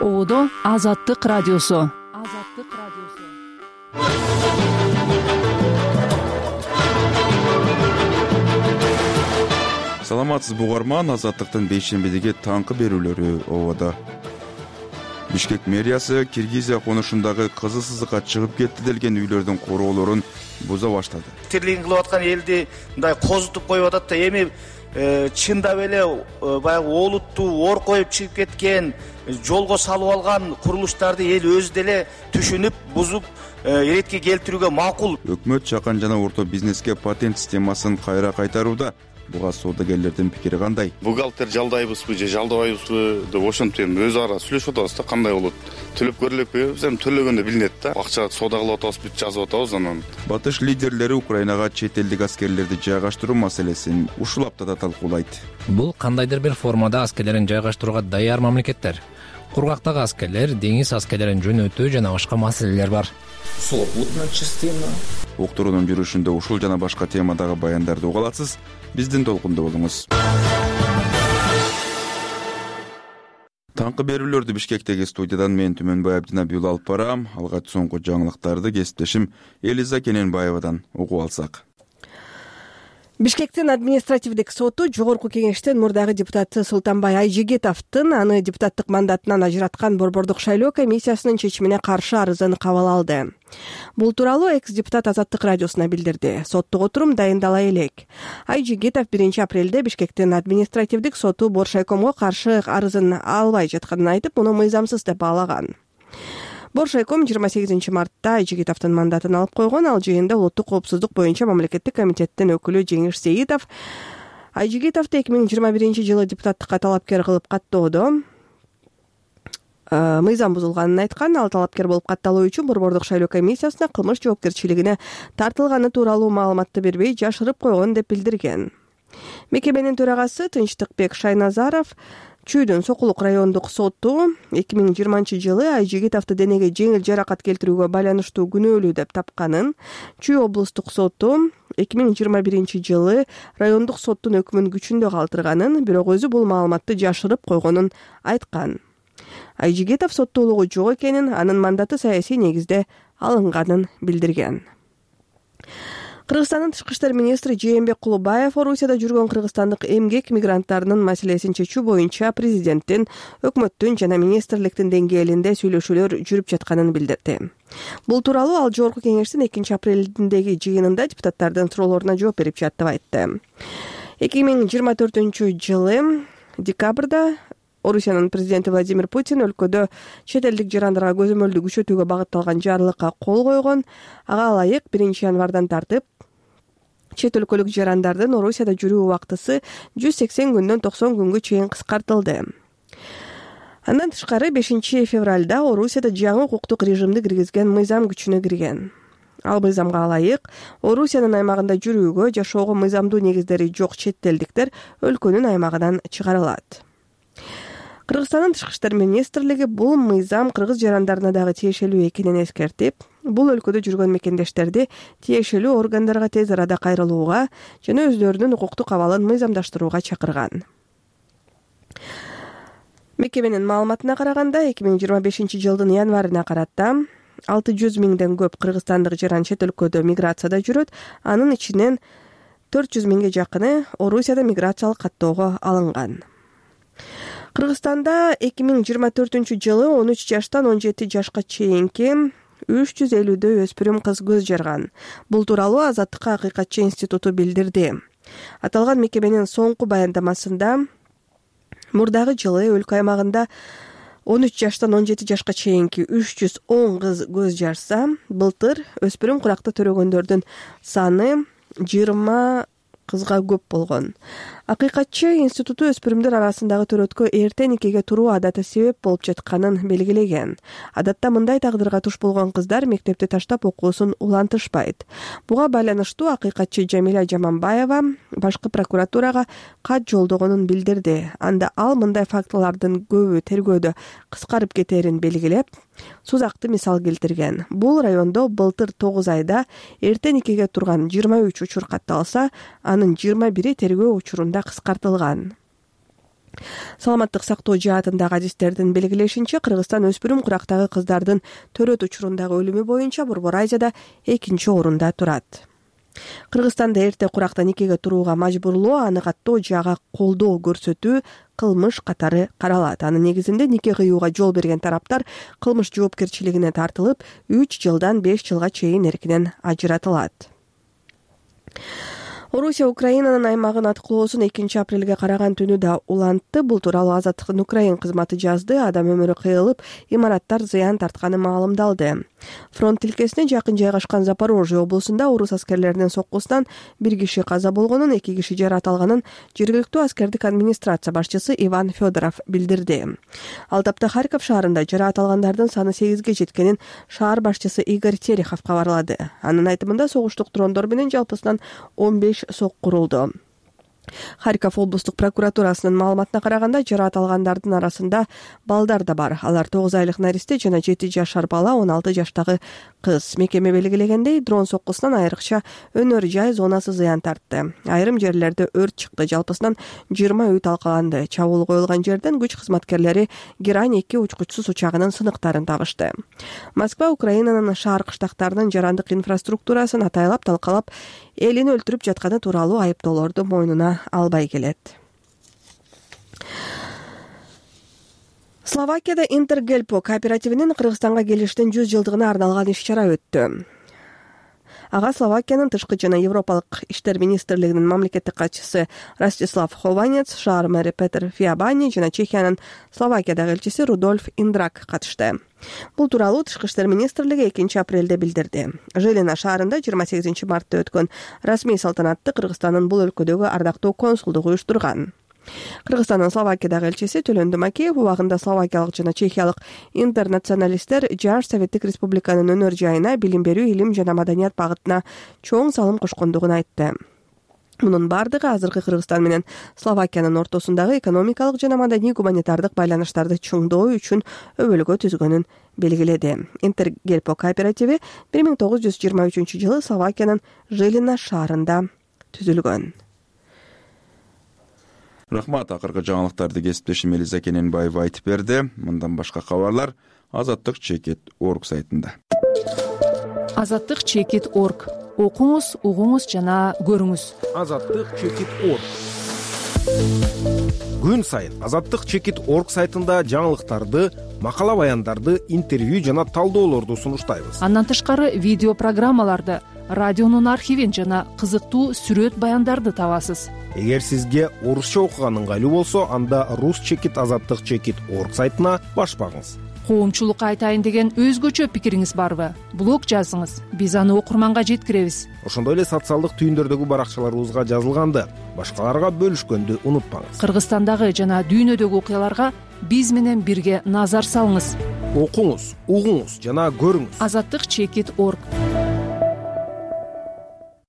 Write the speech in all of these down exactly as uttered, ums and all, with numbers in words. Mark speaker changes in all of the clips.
Speaker 1: Оодо Азаттык радиосу. Азаттык радиосу.
Speaker 2: Саламатсызбы угарман, Азаттыктын бейшембидеги таңкы берүүлөрү ободо. Бишкек мэриясы Киргизия конушундагы кызыл сызыкка чыгып кетти делген үйлөрдүн короолорун буза баштады.
Speaker 3: Тирлигин кылып аткан элди мындай козутуп коюп атат да, эми чындап эле баягы олуттуу ор коюп чыгып кеткен, жолго салып алган курулуштарды эл өзү деле түшүнүп, бузуп иретке келтирүүгө макул.
Speaker 2: Өкмөт жакын жана орто бизнеске патент системасын кайра кайтарууда. Буга соодагерлердин пикири кандай?
Speaker 4: Бухгалтер жалдайбызбы же жалдабайбызбы деп ошентип эми өз ара сүйлөшүп атабыз да, кандай болот, төлөп көрөлүкпү? Биз эми төлөгөндө билинет да, акча соода кылып атабыз, бүт жазып атабыз. Анан
Speaker 2: батыш лидерлери Украинага чет элдик аскерлерди жайгаштыруу маселесин ушул аптада талкуулайт.
Speaker 5: Бул кандайдыр бир формада аскерлерин жайгаштырууга даяр мамлекеттер. Кургактагы аскерлер, деңиз аскерлерин жөнөтүү жана башка маселелер бар.
Speaker 6: Сулапутная частина.
Speaker 2: Уктуруунун жүрүшүндө ушул жана башка темадагы баяндарды уга аласыз. Биздин толкунда болуңуз. Таңкы берүүлөрдү Бишкектеги студиядан мен Түмөнбай Абдинабиул алып барам. Алгач соңку жаңылыктарды кесиптешим Элиза Кененбаевадан угуп алсак.
Speaker 7: Бишкектин административдик соту жогорку кеңештин мурдагы депутаты Султанбай Айжигитовдун аны депутаттык мандатынан ажыраткан борбордук шайлоо комиссиясынын чечимине каршы арызын кабыл алды. Бул тууралуу экс-депутат Азаттык радиосуна билдирди. Соттук отурум дайындала элек. Айжигитов биринчи апрелде Бишкектин административдик соту Боршайкомго каршы арызын албай жатканын айтып, муну мыйзамсыз деп баалаган. Боршайком жыйырма сегизинчи мартта Айжигитовдун мандатын алып койгон. Ал жыйында улуттук коопсуздук боюнча мамлекеттик комитеттин өкүлү Жеңиш Сейитов Айжигитовду эки миң жыйырма биринчи жылы депутаттыкка талапкер кылып каттоодо мыйзам бузулганын айткан. Ал талапкер болуп катталуу үчүн борбордук шайлоо комиссиясына кылмыш жоопкерчилигине тартылганы тууралуу маалыматты бербей жашырып койгон деп билдирген. Мекеменин төрагасы Тынчтыкбек Шайназаров Чүйдүн Сокулук райондук соту эки миң жыйырманчы жылы Айжигитовду денеге жеңил жаракат келтирүүгө байланыштуу күнөөлүү деп тапканын, Чүй облустук соту эки миң жыйырма биринчи жылы райондук соттун өкмүн күчүндө калтырганын, бирок өзү бул маалыматты жашырып койгонун айткан. Айжигитов соттуулугу жок экенин, анын мандаты саясий негизде алынганын билдирген. Кыргызстандын тышкы иштер министри Жээнбек Кулубаев Орусияда жүргөн кыргызстандык эмгек мигранттарынын маселесин чечүү боюнча президенттин, өкмөттүн жана министрликтин деңгээлинде сүйлөшүүлөр жүрүп жатканын билдирди. Бул тууралуу ал жогорку кеңештин экинчи апрелдиндеги жыйынында депутаттардын суроолоруна жооп берип жатып айтты. эки миң жыйырма төртүнчү жылы декабрда Орусиянын президенти Владимир Путин өлкөдө чет элдик жарандарга көзөмөлдү күчөтүүгө багытталган жарлыкка кол койгон. Ага ылайык биринчи январдан тартып чет өлкөлүк жарандардын Орусияда жүрүү убактысы жүз сексен күндөн токсон күнгө чейин кыскартылды. Андан тышкары бешинчи февралда Орусияда жаңы укуктук режимди киргизген мыйзам күчүнө кирген. Ал мыйзамга ылайык Орусиянын аймагында жүрүүгө, жашоого мыйзамдуу негиздери жок чет элдиктер өлкөнүн аймагынан чыгарылат. Кыргызстандын тышкы иштер министрлиги бул мыйзам кыргыз жарандарына дагы тиешелүү экенин эскертип, бул өлкөдө жүргөн мекендештерди тиешелүү органдарга тез арада кайрылууга жана өздөрүнүн укуктук абалын мыйзамдаштырууга чакырган. Мекеменин маалыматына караганда, эки миң жыйырма бешинчи жылдын январына карата алты жүз миңден көп кыргызстандык жаран чет өлкөдө миграцияда жүрөт. Анын ичинен төрт жүз миңге жакыны Орусияда миграциялык каттоого алынган. Кыргызстанда эки миң жыйырма төртүнчү жылы он үч жаштан он жети жашка чейинки үч жүз элүүдөй өспүрүм кыз көз жарган. Бул тууралуу Азаттыкка Акыйкатчы институту билдирди. Аталган мекеменин соңку баяндамасында мурдагы жылы өлкө аймагында он үч жаштан он жети жашка чейинки үч жүз он кыз көз жарса, былтыр өспүрүм куракта төрөгөндөрдүн саны жыйырма кызга көп болгон. Акыйкатчы институту өспүрүмдөр арасындагы төрөткө эрте никеге туруу адаты себеп болуп жатканын белгилеген. Адатта мындай тагдырга туш болгон кыздар мектепти таштап окуусун улантышпайт. Буга байланыштуу акыйкатчы Жамиля Жаманбаева башкы прокуратурага кат жолдогонун билдирди. Анда ал мындай фактылардын көбү тергөөдө кыскарып кетерин белгилеп, сузакты мисал келтирген. Бул райондо былтыр тогуз айда эрте никеге турган жыйырма үч учур катталса, анын жыйырма бири тергөө учурунда кыскартылган. Саламаттык сактоо жаатындагы адистердин белгилешинче, Кыргызстан өспүрүм курактагы кыздардын төрөт учурундагы өлүмү боюнча Борбор Азияда экинчи орунда турат. Кыргызстанда эрте куракта никеге турууга мажбурлоо, аны каттоо жага колдоо көрсөтүү кылмыш катары каралат. Анын негизинде нике кыюуга жол берген тараптар кылмыш жоопкерчилигине тартылып, үч жылдан беш жылга чейин эркинен ажыратылат. Орусия Украинанын аймагын аткылоосун экинчи апрелге караган түнү да улантты. Бул тууралуу Азаттыктын Украин кызматы жазды. Адам өмүрү кыйылып, имараттар зыян тартканы маалымдалды. Фронт тилкесине жакын жайгашкан Запорожье облусунда орус аскерлеринин соккусунан бир киши каза болгонун, эки киши жаракат алганын жергиликтүү аскердик администрация башчысы Иван Федоров билдирди. Ал тапта Харьков шаарында жаракат алгандардын саны сегизге жеткенин шаар башчысы Игорь Терехов кабарлады. Анын айтымында согуштук дрондор менен жалпысынан он беш сок курулду. Харьков облустук прокуратурасынын маалыматына караганда, жаракат алгандардын арасында балдар да бар. Алар тогуз айлык наристе жана жети жашар бала, он алты жаштагы кыз. Мекеме белгилегендей, дрон соккусунан айрыкча өнөр жай зонасы зыян тартты. Айрым жерлерде өрт чыкты, жалпысынан жыйырма үй талкаланды. Чабуул коюлган жерден күч кызматкерлери Герань эки учкучсуз учагынын сыныктарын табышты. Москва Украинанын шаар кыштактарынын жарандык инфраструктурасын атайлап талкалап, элин өлтүрүп жатканы тууралуу айыптоолорду мойнуна албай келет. Словакияда Интергельпо кооперативинин Кыргызстанга келиштин жүз жылдыгына арналган иш-чара өттү. Ага Словакиянын тышкы жана Европалык иштер министрлигинин мамлекеттик катчысы Ростислав Хованец, шаар мэри Петер Фиабани жана Чехиянын Словакиядагы элчиси Рудольф Индрак катышты. Бул тууралуу Тышкы иштер министрлиги экинчи апрелде билдирди. Жилина шаарында жыйырма сегизинчи мартта өткөн расмий салтанатты Кыргызстандын бул өлкөдөгү ардактуу консулдугу уюштурган. Кыргызстандын Словакиядагы элчиси Төлөндү Макеев убагында словакиялык жана чехиялык интернационалисттер Жаш Советтик Республиканын өнөр жайына, билим берүү, илим жана маданият багытына чоң салым кошкондугун айтты. Мунун бардыгы азыркы Кыргызстан менен Словакиянын ортосундагы экономикалык жана маданий гуманитардык байланыштарды чыңдоо үчүн өбөлгө түзгөнүн белгиледи. Интергельпо кооперативи бир миң тогуз жүз жыйырма үчүнчү жылы Словакиянын Жилина шаарында түзүлгөн.
Speaker 2: Рахмат, акыркы жаңылыктарды кесиптешим Элиза Кененбаева айтып берди. Мындан башка кабарлар азаттык чекит точка орг сайтында.
Speaker 1: азаттык чекит точка орг. Окуңуз, угуңуз жана көрүңүз.
Speaker 8: азаттык чекит точка орг. Күн сайын азаттык чекит точка орг сайтында жаңылыктарды, макала баяндарды, интервью жана талдоолорду сунуштайбыз.
Speaker 1: Андан тышкары видео программаларды, радионун архивин жана кызыктуу сүрөт баяндарды табасыз.
Speaker 8: Эгер сизге орусча окуган ыңгайлуу болсо, анда рус чекит азаттык чекит точка орг сайтына баш багыңыз.
Speaker 1: Коомчулукка айтайын деген өзгөчө пикириңиз барбы? Блог жазыңыз, биз аны окурманга жеткиребиз.
Speaker 8: Ошондой эле социалдык түйүндөрдөгү баракчаларыбызга жазылганды, башкаларга бөлүшкөндү унутпаңыз.
Speaker 1: Кыргызстандагы жана дүйнөдөгү окуяларга биз менен бирге назар салыңыз.
Speaker 8: Окуңуз, угуңуз жана көрүңүз.
Speaker 1: азаттык чекит точка орг.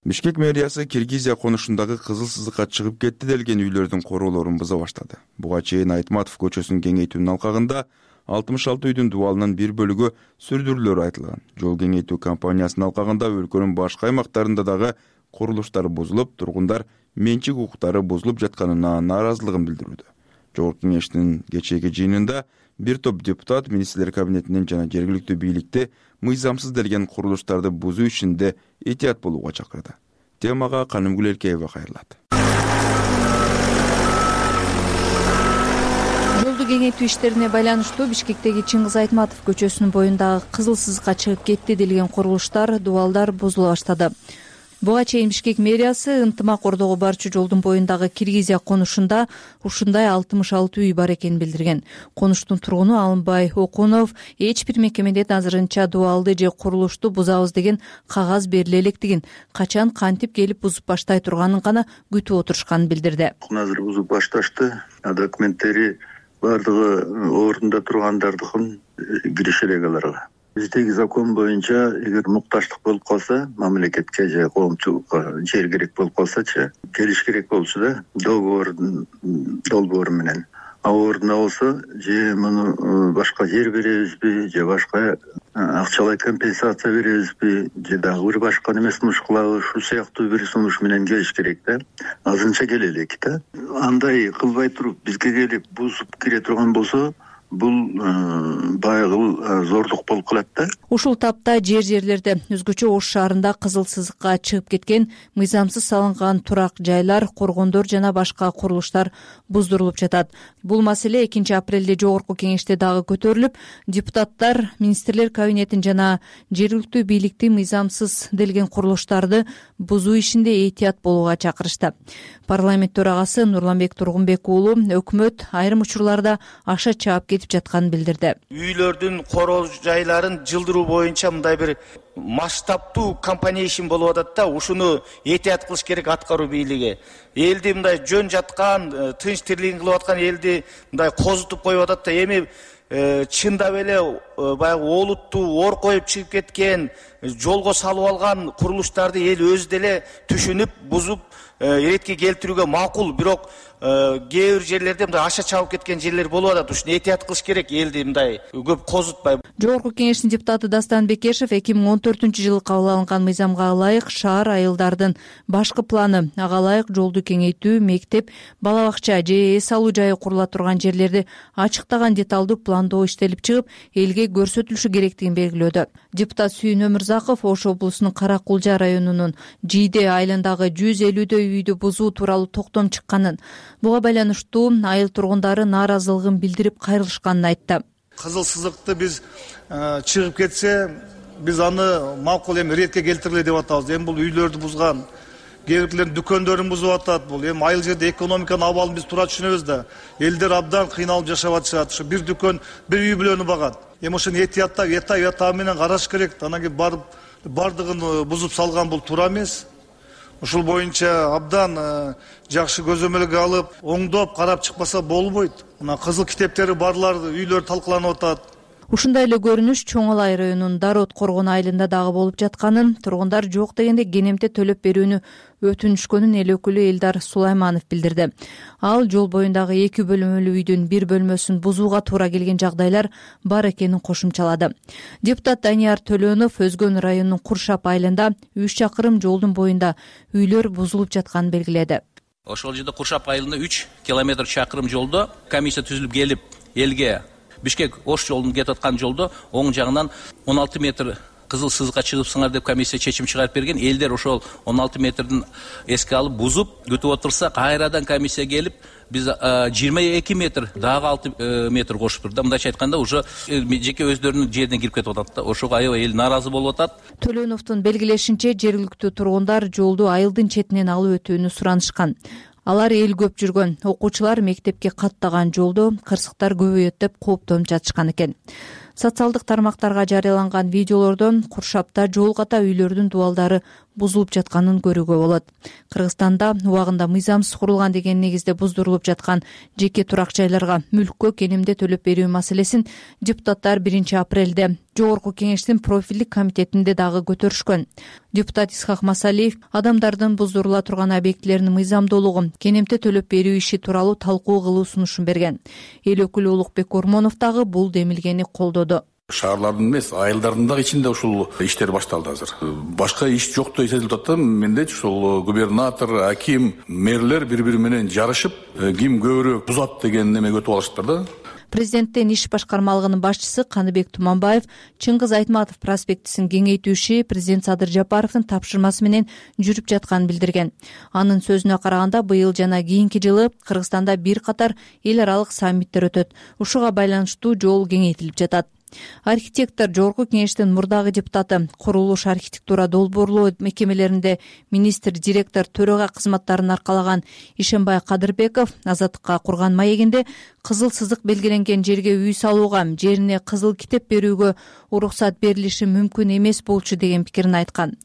Speaker 2: Бишкек мэриясы Киргизия конушундагы кызыл сызыкка чыгып кетти делген үйлөрдүн короолорун буза баштады. Буга чейин Айтматов көчөсүн кеңейтүүнүн алкагында алтымыш алты үйдүн дубалынын бир бөлүгү сүрдүрүлөрү айтылган. Жол кеңейтүү компаниясынын алкагында өлкөнүн башка аймактарында дагы курулуштар бузулуп, тургундар менчик укуктары бузулуп жатканына нааразылыгын билдирүүдө. Жогорку кеңештин кечээги жыйынында бир топ депутат министрлер кабинетинен жана жергиликтүү бийликти мыйзамсыз делген курулуштарды бузуу ишинде этият болууга чакырды. Темага Канымгүл Элкеева кайрылат.
Speaker 9: Жолду кеңейтүү иштерине байланыштуу Бишкектеги Чыңгыз Айтматов көчөсүнүн боюндагы кызыл сызыкка чыгып кетти делген курулуштар, дубалдар бузула баштады. Буга чейин Бишкек мэриясы ынтымак ордого барчу жолдун боюндагы Киргизия конушунда ушундай алтымыш алты үй бар экенин билдирген. Конуштун тургуну Алымбай Окунов эч бир мекемеден азырынча дубалды же курулушту бузабыз деген кагаз бериле электигин, качан кантип келип бузуп баштай турганын гана күтүп отурушканын билдирди.
Speaker 10: Азыр бузуп башташты, документтери бардыгы ордунда тургандардыкын кириши элек аларга. Биздеги закон боюнча эгер мукташтык болуп калса, мамлекетке же коомчулукка жер керек болуп калсачы, келиш керек болчу да, договордун долбоору менен. А ордуна болсо, же муну башка жер беребизби, же башка акчалай компенсация беребизби же дагы бир башка неме сунуш кылабы, ушул сыяктуу бир сунуш менен келиш керек да. Азырынча келе элек да. Андай кылбай туруп бизге келип бузуп кире турган болсо, бул баягы зордук болуп калат да.
Speaker 9: Ушул тапта жер жерлерде өзгөчө Ош шаарында кызыл сызыкка чыгып кеткен мыйзамсыз салынган турак жайлар, коргондор жана башка курулуштар буздурулуп жатат. Бул маселе экинчи апрелде жогорку кеңеште дагы көтөрүлүп, депутаттар министрлер кабинетин жана жергиликтүү бийликти мыйзамсыз делген курулуштарды бузуу ишинде этият болууга чакырышты. Парламент төрагасы Нурланбек Тургунбек уулу өкмөт айрым учурларда аша чаап кетип жатканын билдирди.
Speaker 3: Үйлөрдүн короо жайларын жылдыруу боюнча мындай бир масштабтуу компания ишин болуп атат да, ушуну этият кылыш керек аткаруу бийлиги. Элди мындай жөн жаткан, тынч тирлигин кылып аткан элди мындай козутуп коюп атат да, эми чындап эле баягы олуттуу ор коюп чыгып кеткен, жолго салып алган курулуштарды эл өзү деле түшүнүп, бузуп иретке келтирүүгө макул, бирок кээ бир жерлерде мындай аша чабып кеткен жерлер болуп атат. Ушуну этият кылыш керек, элди мындай көп козутпай.
Speaker 9: Жогорку кеңештин депутаты Дастан Бекешев эки миң он төртүнчү жылы кабыл алынган мыйзамга ылайык шаар айылдардын башкы планы, ага ылайык жолду кеңейтүү, мектеп, бала бакча же эс алуу жайы курула турган жерлерди ачыктаган деталдуу пландоо иштелип чыгып, элге көрсөтүлүшү керектигин белгилөөдө. Депутат Сүйүн Өмүрзаков Ош облусунун Кара Кулжа районунун Жийде айылындагы жүз элүүдөй үйдү бузуу тууралуу токтом чыкканын, буга байланыштуу айыл тургундары нааразылыгын билдирип кайрылышканын айтты.
Speaker 11: Кызыл сызыкты биз чыгып кетсе, биз аны макул эми иретке келтирели деп атабыз. Эми бул үйлөрдү бузган, кээ бирлердин дүкөндөрүн бузуп атат. Бул эми айыл жерде экономиканын абалын биз туура түшүнөбүз да. Элдер абдан кыйналып жашап атышат. Ушу бир дүкөн, бир үй бүлөнү багат. Эми ушуну этияттап, эта эта менен караш керек. Анан кийин барып бардыгын бузуп салган бул туура эмес. Ушул боюнча абдан жакшы көзөмөлгө алып, оңдоп карап чыкпаса болбойт. Мына кызыл китептери барлар үйлөр талкаланып атат.
Speaker 9: Ушундай эле көрүнүш Чоң Алай районунун Дарот Коргон айылында дагы болуп жатканын, тургундар жок дегенде кенемте төлөп берүүнү өтүнүшкөнүн эл өкүлү Элдар Сулайманов билдирди. Ал жол боюндагы эки бөлмөлүү үйдүн бир бөлмөсүн бузууга туура келген жагдайлар бар экенин кошумчалады. Депутат Данияр Төлөнов Өзгөн районунун Куршап айылында үч чакырым жолдун боюнда үйлөр бузулуп жатканын белгиледи.
Speaker 12: Ошол жерде Куршап айылында үч километр чакырым жолдо комиссия түзүлүп келип, элге Бишкек Ош жолунун кетип аткан жолдо оң жагынан он алты метр кызыл сызыкка чыгыпсыңар деп комиссия чечим чыгарып берген. Элдер ошол он алты метрдин эске алып бузуп өтүп отурса, кайрадан комиссия келип, биз жыйырма эки метр, дагы алты метр кошуп турду. Мындайча айтканда, уже жеке өздөрүнүн жерине кирип кетип атат да. Ошого аябай эл нааразы болуп атат.
Speaker 9: Төлөновдун белгилешинче, жергиликтүү тургундар жолду айылдын четинен алып өтүүнү суранышкан. Алар эл көп жүргөн, окуучулар мектепке каттаган жолдо кырсыктар көбөйөт деп кооптонуп жатышкан экен. Социалдык тармактарга жарыяланган видеолордон Куршапта жол ката үйлөрдүн дубалдары бузулуп жатканын көрүүгө болот. Кыргызстанда убагында мыйзамсыз курулган деген негизде буздурулуп жаткан жеке турак жайларга мүлккө кенемде төлөп берүү маселесин депутаттар биринчи апрелде жогорку кеңештин профилдик комитетинде дагы көтөрүшкөн. Депутат Исхак Масалиев адамдардын буздурула турган объектилеринин мыйзамдуулугун, кенемде төлөп берүү иши тууралуу талкуу кылуу сунушун берген. Эл өкүлү Улукбек Ормонов дагы бул демилгени колдоду.
Speaker 13: Шаарлардын эмес, айылдардын дагы ичинде ушул иштер башталды азыр. Башка иш жоктой сезилип атат. Мендечи ушул губернатор, аким, мэрлер бири-бири менен жарышып, ким көбүрөөк бузат деген немеге өтүп алыштыр да.
Speaker 9: Президенттин иш башкармалыгынын башчысы Каныбек Туманбаев Чыңгыз Айтматов проспектисин кеңейтүү иши президент Садыр Жапаровдун тапшырмасы менен жүрүп жатканын билдирген. Анын сөзүнө караганда, быйыл жана кийинки жылы Кыргызстанда бир катар эл аралык саммиттер өтөт. Ушуга байланыштуу жол кеңейтилип жатат. Архитектор, жогорку кеңештин мурдагы депутаты, курулуш архитектура долбоорлоо мекемелеринде министр, директор, төрага кызматтарын аркалаган Ишенбай Кадырбеков Азаттыкка курган маегинде кызыл сызык белгиленген жерге үй салууга, жерине кызыл китеп берүүгө уруксат берилиши мүмкүн эмес болчу деген пикирин айткан.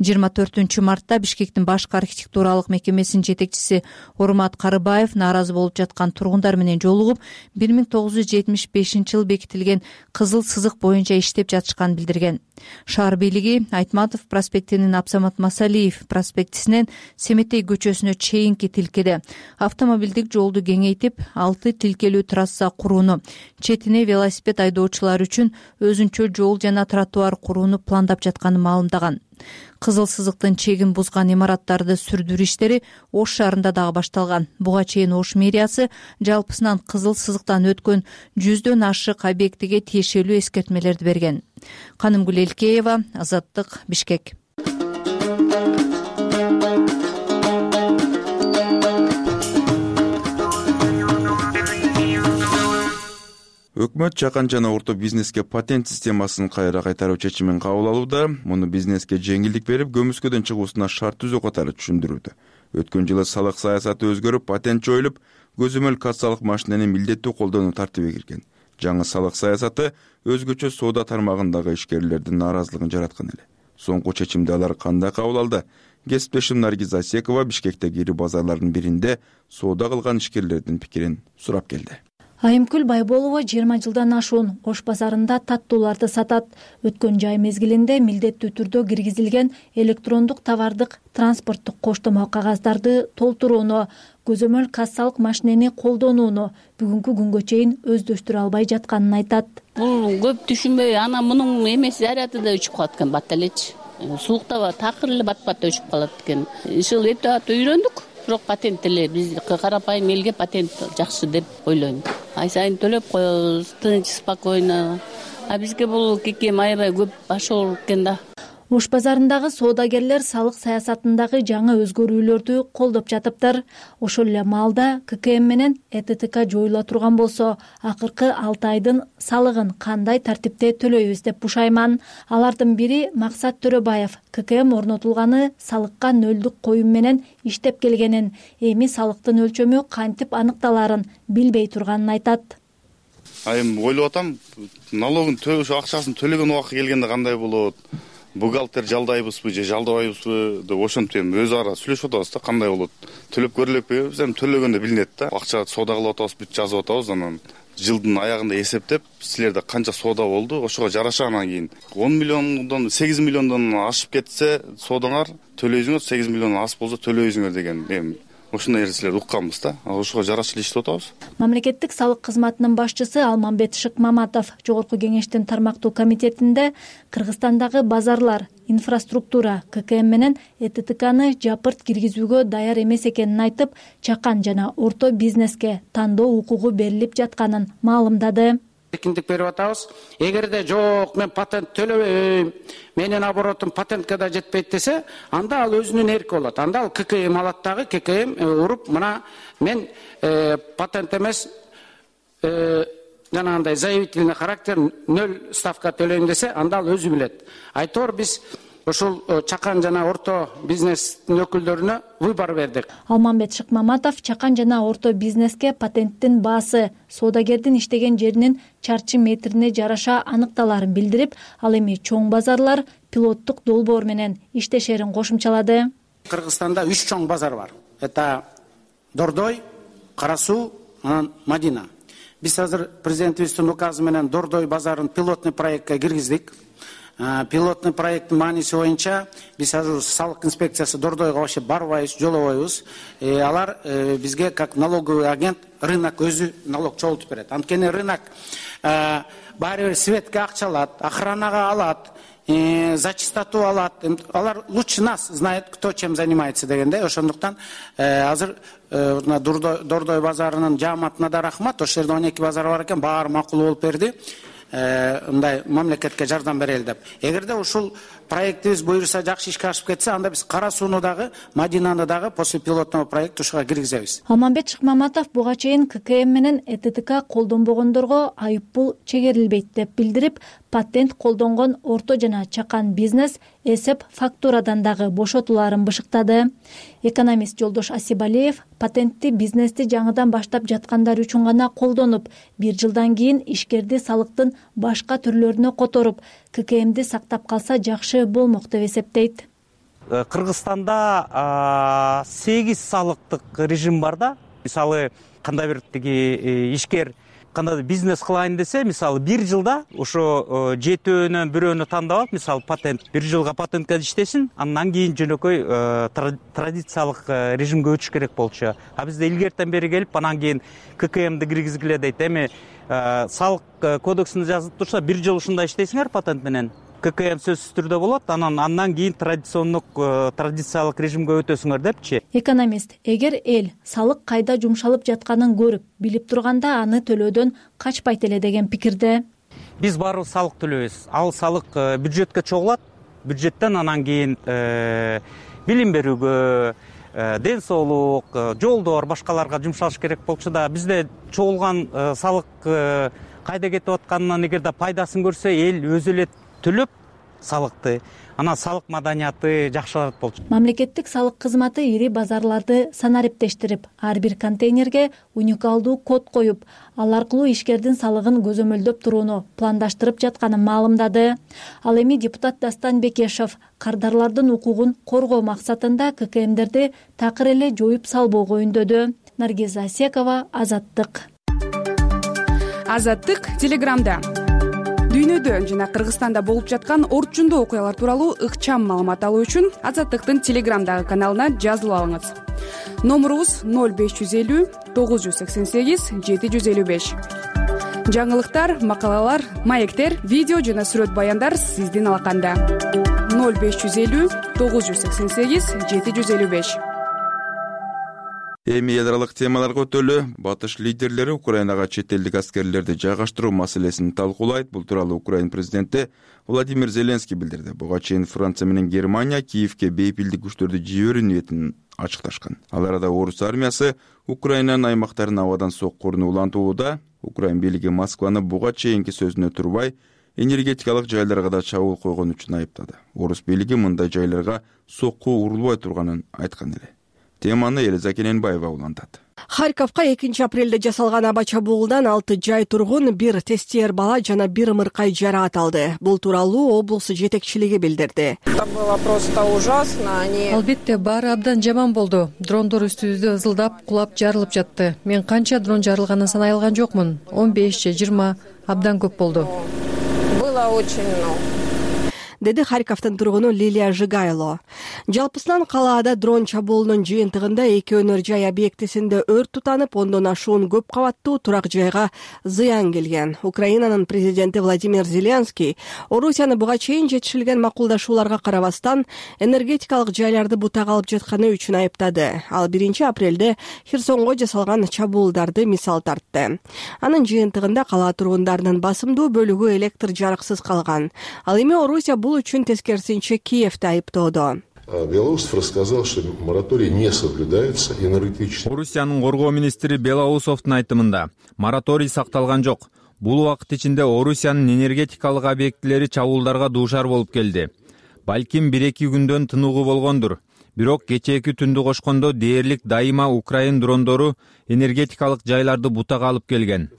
Speaker 9: жыйырма төртүнчү мартта Бишкектин башкы архитектуралык мекемесинин жетекчиси Урмат Карыбаев нааразы болуп жаткан тургундар менен жолугуп, бир миң тогуз жүз жетимиш бешинчи жылы бекитилген кызыл сызык боюнча иштеп жатышканын билдирген. Шаар бийлиги Айтматов проспектинин Абсамат Масалиев проспектисинен Семетей көчөсүнө чейинки тилкеде автомобилдик жолду кеңейтип, алты тилке ийгиликтүү трасса курууну, четине велосипед айдоочулар үчүн өзүнчө жол жана тротуар курууну пландап жатканын маалымдаган. Кызыл сызыктын чегин бузган имараттарды сүрдүрүү иштери Ош шаарында дагы башталган. Буга чейин Ош мэриясы жалпысынан кызыл сызыктан өткөн жүздөн ашык объектиге тиешелүү эскертмелерди берген. Канымгүл Элкеева, Азаттык, Бишкек.
Speaker 2: Өкмөт чакан жана орто бизнеске патент системасын кайра кайтаруу чечимин кабыл алууда. Муну бизнеске жеңилдик берип, көмүскөдөн чыгуусуна шарт түзүү катары түшүндүрүүдө. Өткөн жылы салык саясаты өзгөрүп, патент жоюлуп, көзөмөл кассалык машинени милдеттүү колдонуу тартиби кирген. Жаңы салык саясаты өзгөчө соода тармагындагы ишкерлердин нааразылыгын жараткан эле. Соңку чечимди алар кандай кабыл алды? Кесиптешим Наргиз Асекова Бишкектеги ири базарлардын биринде соода кылган ишкерлердин пикирин сурап келди.
Speaker 14: Айымкүл Байболова жыйырма жылдан ашуун Ош базарында таттууларды сатат. Өткөн жай мезгилинде милдеттүү түрдө киргизилген электрондук товардык транспорттук коштомо кагаздарды толтурууну, көзөмөл кассалык машинени колдонууну бүгүнкү күнгө чейин өздөштүрө албай жатканын айтат.
Speaker 15: Бул көп түшүнбөй, анан мунун эмеси заряды да өчүп калат экен, бат элечи. Сууктаба такыр эле бат-бат өчүп калат экен. Ушул эптеп ат үйрөндүк. Бирок патент эле биз карапайым элге патент жакшы деп ойлойм. Ай сайын төлөп коебуз, тынч, спокойно. А бизге бул кекем аябай көп баш ооруп экен да.
Speaker 14: Ош базарындагы соодагерлер салык саясатындагы жаңы өзгөрүүлөрдү колдоп жатыптыр. Ошол эле маалда ка ка эм менен э тэ тэ ка жоюла турган болсо, акыркы алты айдын салыгын кандай тартипте төлөйбүз деп бушайман. Алардын бири Максат Төрөбаев ка ка эм орнотулганы салыкка нөлдүк коюм менен иштеп келгенин, эми салыктын өлчөмү кантип аныкталарын билбей турганын айтат.
Speaker 4: Айым ойлоп атам, налогун төлөш акчасын төлөгөн убакыт келгенде кандай болот? Бухгалтер жалдайбызбы же жалдабайбызбы деп ошентип эми өз ара сүйлөшүп атабыз да, кандай болот. Төлөп көрүлөкпү? Биз эми төлөгөндө билинет да. Акча соода кылып атабыз, бүт жазып атабыз, анан жылдын аягында эсептеп, силерде канча соода болду, ошого жараша анан кийин он миллиондон сегиз миллиондон ашып кетсе соодаңар төлөйсүңөр, сегиз миллиондон аз болсо төлөйсүңөр деген эми ошондой нерселерди укканбыз да. Ошого жараша эле иштеп атабыз.
Speaker 14: Мамлекеттик салык кызматынын башчысы Алмамбет Шыкмаматов Жогорку кеңештин тармактуу комитетинде Кыргызстандагы базарлар, инфраструктура, ка ка эм менен э тэ тэ каны жапырт киргизүүгө даяр эмес экенин айтып, чакан жана орто бизнеске тандоо укугу берилип жатканын маалымдады.
Speaker 16: Эркиндик берип атабыз. Эгерде жок, мен патент төлөбөйм, менин оборотум патентке да жетпейт десе, анда ал өзүнүн эрки болот. Анда ал ка ка эм алат дагы, ка ка эм уруп, мына мен э, патент эмес э, жанагындай заявительный характер нөл ставка төлөйм десе, анда ал өзү билет. Айтор биз ошол чакан жана орто бизнестин өкүлдөрүнө выбор бердик.
Speaker 14: Алмамбет Шыкмаматов чакан жана орто бизнеске патенттин баасы, соодагердин иштеген жеринин чарчы метрине жараша аныкталарын билдирип, ал эми чоң базарлар пилоттук долбоор менен иштешерин кошумчалады.
Speaker 16: Кыргызстанда үч чоң базар бар. Это Дордой, Кара Суу, анан Мадина. Биз азыр президентибиздин указы менен Дордой базарын пилотный проектке киргиздик. Пилотный проекттин мааниси боюнча биз азыр салык инспекциясы Дордойго вообще барбайбыз, жолобойбуз. Алар бизге как налоговый агент рынок өзү налог чогултуп берет. Анткени рынок баары бир светке акча алат, охранага алат, за чистоту алат. Алар лучше нас знает, кто чем занимается дегенде. Ошондуктан азыр Дордой базарынын жааматына да рахмат. Ошол жерде он эки базар бар экен, баары макул болуп берди. Мындай мамлекетке жардам берели деп. Эгерде ушул проектибиз буюрса жакшы ишке ашып кетсе, анда биз Кара Сууну дагы, Мадинаны дагы после пилотного проекта ушуга киргизебиз.
Speaker 14: Алмамбет Шыкмаматов буга чейин ка ка эм менен э тэ тэ ка колдонбогондорго айыппул чегерилбейт деп билдирип, патент колдонгон орто жана чакан бизнес эсеп фактурадан дагы бошотуларын бышыктады. Экономист Жолдош Асибалиев патентти бизнести жаңыдан баштап жаткандар үчүн гана колдонуп, бир жылдан кийин ишкерди салыктын башка түрлөрүнө которуп, ка ка эмди сактап калса жакшы болмок деп эсептейт.
Speaker 17: Кыргызстанда сегиз салыктык режим бар да. Мисалы, кандай бир тиги ишкер кандайдыр бизнес кылайын десе, мисалы бир жылда ошо жетөөнөн бирөөнү тандап алып, мисалы патент бир жылга патентке иштесин, андан кийин жөнөкөй традициялык режимге өтүш керек болчу. А бизде илгертен бери келип, анан кийин ка ка эмди киргизгиле дейт. Эми салык кодексинде жазылып турса, бир жыл ушундай иштейсиңер патент менен, ка ка эм сөзсүз түрдө болот, анан андан кийин традициондук традициялык режимге өтөсүңөр депчи.
Speaker 14: Экономист, эгер эл салык кайда жумшалып жатканын көрүп, билип турганда аны төлөөдөн качпайт эле деген пикирде.
Speaker 17: Биз баарыбыз салык төлөйбүз. Ал салык бюджетке чогулат, бюджеттен анан кийин билим берүүгө, ден соолук, жолдор, башкаларга жумшалыш керек болчу да, бизде чогулган салык кайда кетип атканынан эгерде пайдасын көрсө, эл өзү эле төлөп салыкты, анан салык маданияты жакшырат болчу.
Speaker 14: Мамлекеттик салык кызматы ири базарларды санариптештирип, ар бир контейнерге уникалдуу код коюп, ал аркылуу ишкердин салыгын көзөмөлдөп турууну пландаштырып жатканын маалымдады. Ал эми депутат Дастан Бекешев кардарлардын укугун коргоо максатында ка ка эмдерди такыр эле жоюп салбоого үндөдү. Наргиза Асекова, Азаттык.
Speaker 18: Азаттык Телеграмда. Дүйнөдө жана Кыргызстанда болуп жаткан орчундуу окуялар тууралуу ыкчам маалымат алуу үчүн Азаттыктын Телеграмдагы каналына жазылып алыңыз. Номурубуз ноль беш жүз элүү тогуз жүз сексен сегиз жети жүз элүү беш. Жаңылыктар, макалалар, маектер, видео жана сүрөт баяндар сиздин алаканда. ноль беш жүз элүү тогуз жүз сексен сегиз жети жүз элүү беш.
Speaker 2: Эми эл аралык темаларга өтөлү. Батыш лидерлери Украинага чет элдик аскерлерди жайгаштыруу маселесин талкуулайт. Бул тууралуу Украина президенти Владимир Зеленский билдирди. Буга чейин Франция менен Германия Киевке бейпилдик күчтөрдү жиберүү ниетин ачыкташкан. Ал арада орус армиясы Украинанын аймактарын абадан соккуруну улантууда. Украин бийлиги Москваны буга чейинки сөзүнө турбай, энергетикалык жайларга да чабуул койгон үчүн айыптады. Орус бийлиги мындай жайларга сокку урулбай турганын айткан эле. Теманы Элиза Кененбаева улантат.
Speaker 7: Харьковка экинчи апрелде жасалган аба чабуулдан алты жай тургун, бир тестиер бала жана бир ымыркай жараат алды. Бул тууралуу облус жетекчилиги билдирди.
Speaker 19: Это было просто ужасно. Они...
Speaker 20: Албетте баары абдан жаман болду. Дрондор үстүбүздө ызылдап, кулап, жарылып жатты. Мен канча дрон жарылганын санай алган жокмун. он беш же жыйырма абдан көп болду.
Speaker 19: Было очень много.
Speaker 7: Деди Харьковдун тургуну Лилия Жигайло. Жалпысынан калаада дрон чабуулунун жыйынтыгында эки өнөр жай объектисинде өрт тутанып, ондон ашуун көп кабаттуу турак жайга зыян келген. Украинанын президенти Владимир Зеленский Орусияны буга чейин жетишилген макулдашууларга карабастан энергетикалык жайларды бутак алып жатканы үчүн айыптады. Ал биринчи апрелде Херсонго жасалган чабуулдарды мисал тартты. Анын жыйынтыгында кала тургундарынын басымдуу бөлүгү электр жарыксыз калган. Ал эми Орусия бул үчүн тескерисинче Киевди айыптоодо.
Speaker 21: Белоусов рассказал, что мораторий не соблюдается энергетически.
Speaker 22: Орусиянын коргоо министри Белоусовдун айтымында мораторий сакталган жок. Бул убакыт ичинде Орусиянын энергетикалык объектилери чабуулдарга дуушар болуп келди. Балким бир-эки күндөн тынугу болгондур. Бирок кечээки түндү кошкондо дээрлик дайыма Украин дрондору энергетикалык жайларды бутак алып келген.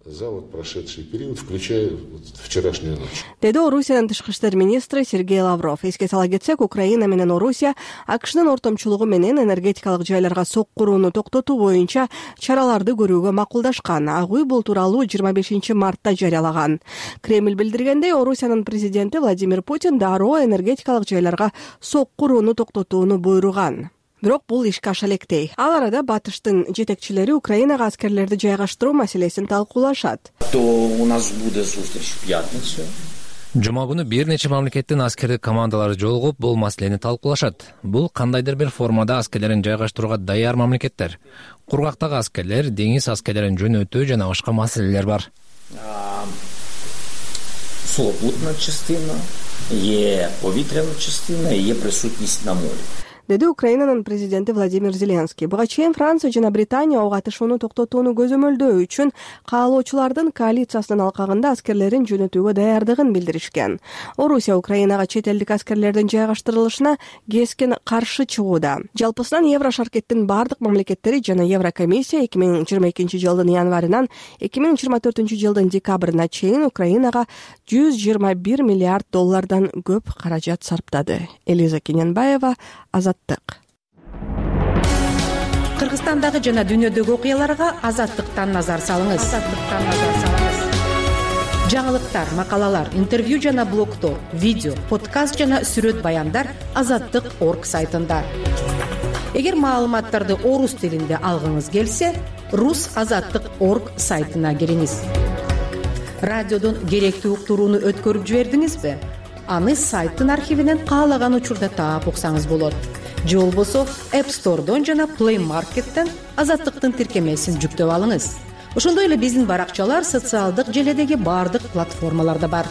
Speaker 21: За вот прошедший период, включая вот вчерашнюю ночь.
Speaker 7: Деди Орусиянын тышкы иштер министри Сергей Лавров. Эске сала кетсек, Украина менен Орусия АКШнын ортомчулугу менен энергетикалык жайларга соккурууну токтотуу боюнча чараларды көрүүгө макулдашкан. Ак үй бул тууралуу жыйырма бешинчи мартта жарыялаган. Кремль билдиргендей, Орусиянын президенти Владимир Путин дароо энергетикалык жайларга соккурууну токтотууну буйруган. Бирок бул ишке аша электей. Ал арада батыштын жетекчилери Украинага аскерлерди жайгаштыруу маселесин талкуулашат.
Speaker 6: То у нас будет встреча в пятницу.
Speaker 5: Жума күнү бир нече мамлекеттин аскердик командалары жолугуп бул маселени талкуулашат. Бул кандайдыр бир формада аскерлерин жайгаштырууга даяр мамлекеттер. Кургактагы аскерлер, деңиз аскерлерин жөнөтүү жана башка маселелер бар.
Speaker 6: Сухопутна частина, е повітряна частина, е присутність на морі.
Speaker 7: Деди Украинанын президенти Владимир Зеленский. Буга чейин Франция жана Британия ок атышууну токтотууну көзөмөлдөө үчүн каалоочулардын коалициясынын алкагында аскерлерин жөнөтүүгө даярдыгын билдиришкен. Орусия Украинага чет элдик аскерлердин жайгаштырылышына кескен каршы чыгууда. Жалпысынан Еврошаркеттин бардык мамлекеттери жана Еврокомиссия эки миң жыйырма экинчи жылдын январынан эки миң жыйырма төртүнчү жылдын декабрына чейин Украинага жүз жыйырма бир миллиард доллардан көп каражат сарптады. Элиза Кененбаева, Азаттык.
Speaker 1: Кыргызстандагы жана дүйнөдөгү окуяларга Азаттыктан назар салыңыз. Азаттыктан назар салыңыз. Жаңылыктар, макалалар, интервью жана блогдор, видео, подкаст жана сүрөт баяндар азаттык точка орг сайтында. Эгер маалыматтарды орус тилинде алгыңыз келсе, рус азаттык точка орг сайтына кириңиз. Радиодон керектүү уктурууну өткөрүп жибердиңизби? Аны сайттын архивинен каалаган учурда таап уксаңыз болот. Же болбосо App Store'дон жана Play Market'тен Азаттыктын тиркемесин жүктөп алыңыз. Ошондой эле биздин баракчалар социалдык желедеги бардык платформаларда бар.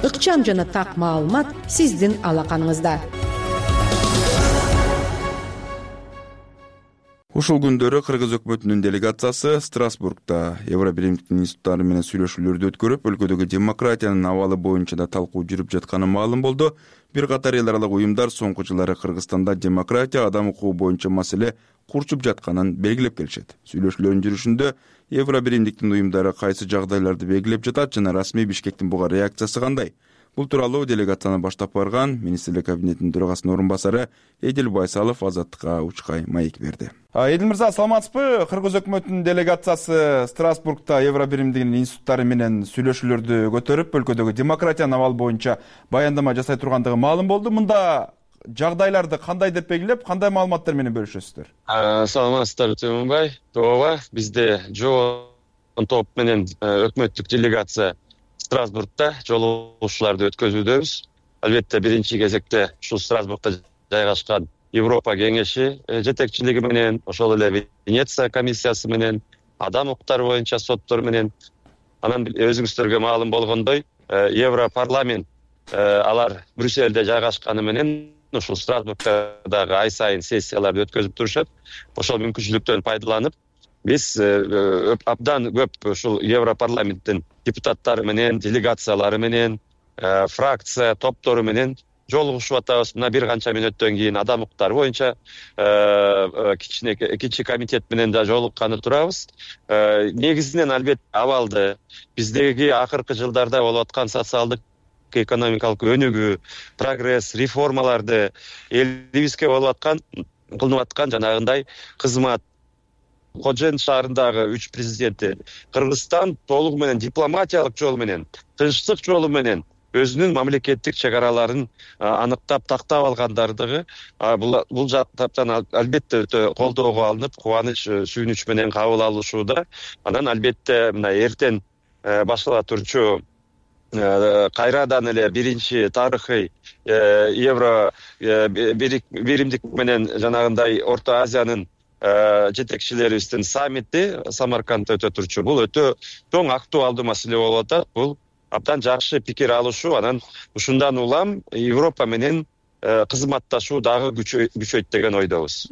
Speaker 1: Ыкчам жана так маалымат сиздин алаканыңызда.
Speaker 2: Ушул күндөрү Кыргыз өкмөтүнүн делегациясы Страсбургда Евробиримдик институттары менен сүйлөшүүлөрдү өткөрүп, өлкөдөгү демократиянын абалы боюнча да талкуу жүрүп жатканы маалым болду. Бир катар эл аралык уюмдар соңку жылдары Кыргызстанда демократия, адам укугу боюнча маселе курчуп жатканын белгилеп келишет. Сүйлөшүүлөрдүн жүрүшүндө Евробиримдиктин уюмдары кайсы жагдайларды белгилеп жатат жана расмий Бишкектин буга реакциясы кандай? Бул тууралуу делегацияны баштап барган министрлик кабинетинин төрагасынын орун басары Эдил Байсалов Азаттыкка учкай маек берди. Эдил мырза, саламатсызбы? Кыргыз өкмөтүнүн делегациясы Страсбургда Евробиримдигинин институттары менен сүйлөшүүлөрдү көтөрүп, өлкөдөгү демократиянын абалы боюнча баяндама жасай тургандыгы маалым болду. Мында жагдайларды кандай деп белгилеп, кандай маалыматтар менен бөлүшөсүздөр?
Speaker 8: Саламатсыздарбы Темирбай? Тооба, бизде жоон топ менен өкмөттүк делегация Страсбургда жолугушууларды өткөзүүдөбүз. Албетте биринчи кезекте ушул Страсбургда жайгашкан Европа кеңеши жетекчилиги менен, ошол эле Венеция комиссиясы менен, адам укуктары боюнча соттор менен, анан өзүңүздөргө маалым болгондой, Европарламент алар Брюссельде жайгашканы менен ушул Страсбургда дагы ай сайын сессияларды өткөзүп турушат. Ошол мүмкүнчүлүктөн пайдаланып, биз абдан көп ушул Европарламенттин депутаттары менен, делегациялары менен, фракция топтору менен жолугушуп атабыз. Мына бир канча мүнөттөн кийин адам укуктары боюнча кичине экинчи комитет менен да жолукканы турабыз. Негизинен албетте абалды, биздеги акыркы жылдарда болуп аткан социалдык экономикалык өнүгүү, прогресс, реформаларды, элибизге болуп аткан, кылынып аткан жанагындай кызмат, Кожен шаарындагы үч президенти Кыргызстан толугу менен дипломатиялык жол менен, тынчтык жолу менен өзүнүн мамлекеттик чек араларын аныктап тактап алгандардыгы бул жактан албетте өтө колдоого алынып, кубаныч, сүйүнүч менен кабыл алышууда. Анан албетте мына эртең баштала турчу кайрадан эле биринчи тарыхый Евро биримдик менен жанагындай Орто Азиянын жетекчилерибиздин саммити Самаркандда өтө турчу. Бул өтө чоң актуалдуу маселе болуп атат. Бул абдан жакшы пикир алышуу, анан ушундан улам Европа менен кызматташуу дагы күчөйт деген ойдобуз.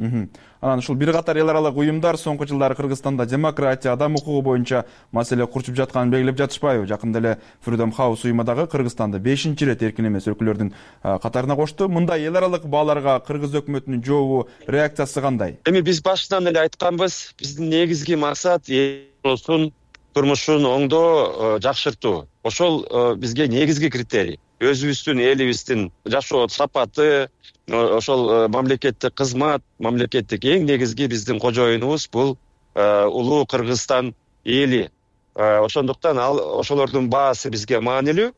Speaker 2: Анан ушул бир катар эл аралык уюмдар соңку жылдары Кыргызстанда демократия, адам укугу боюнча маселе курчуп жатканын белгилеп жатышпайбы? Жакында эле Freedom House уюму дагы Кыргызстанды бешинчи ирет эркин эмес өлкөлөрдүн катарына кошту. Мындай эл аралык бааларга Кыргыз өкмөтүнүн жообу, реакциясы кандай?
Speaker 8: Эми биз башынан эле айтканбыз, биздин негизги максат элдин турмушун оңдоо, жакшыртуу. Ошол бизге негизги критерий. Өзүбүздүн элибиздин жашоо сапаты, ошол мамлекеттик кызмат, мамлекеттик эң негизги биздин кожоюнубуз бул улуу Кыргызстан эли. Ошондуктан ал ошолордун баасы бизге маанилүү.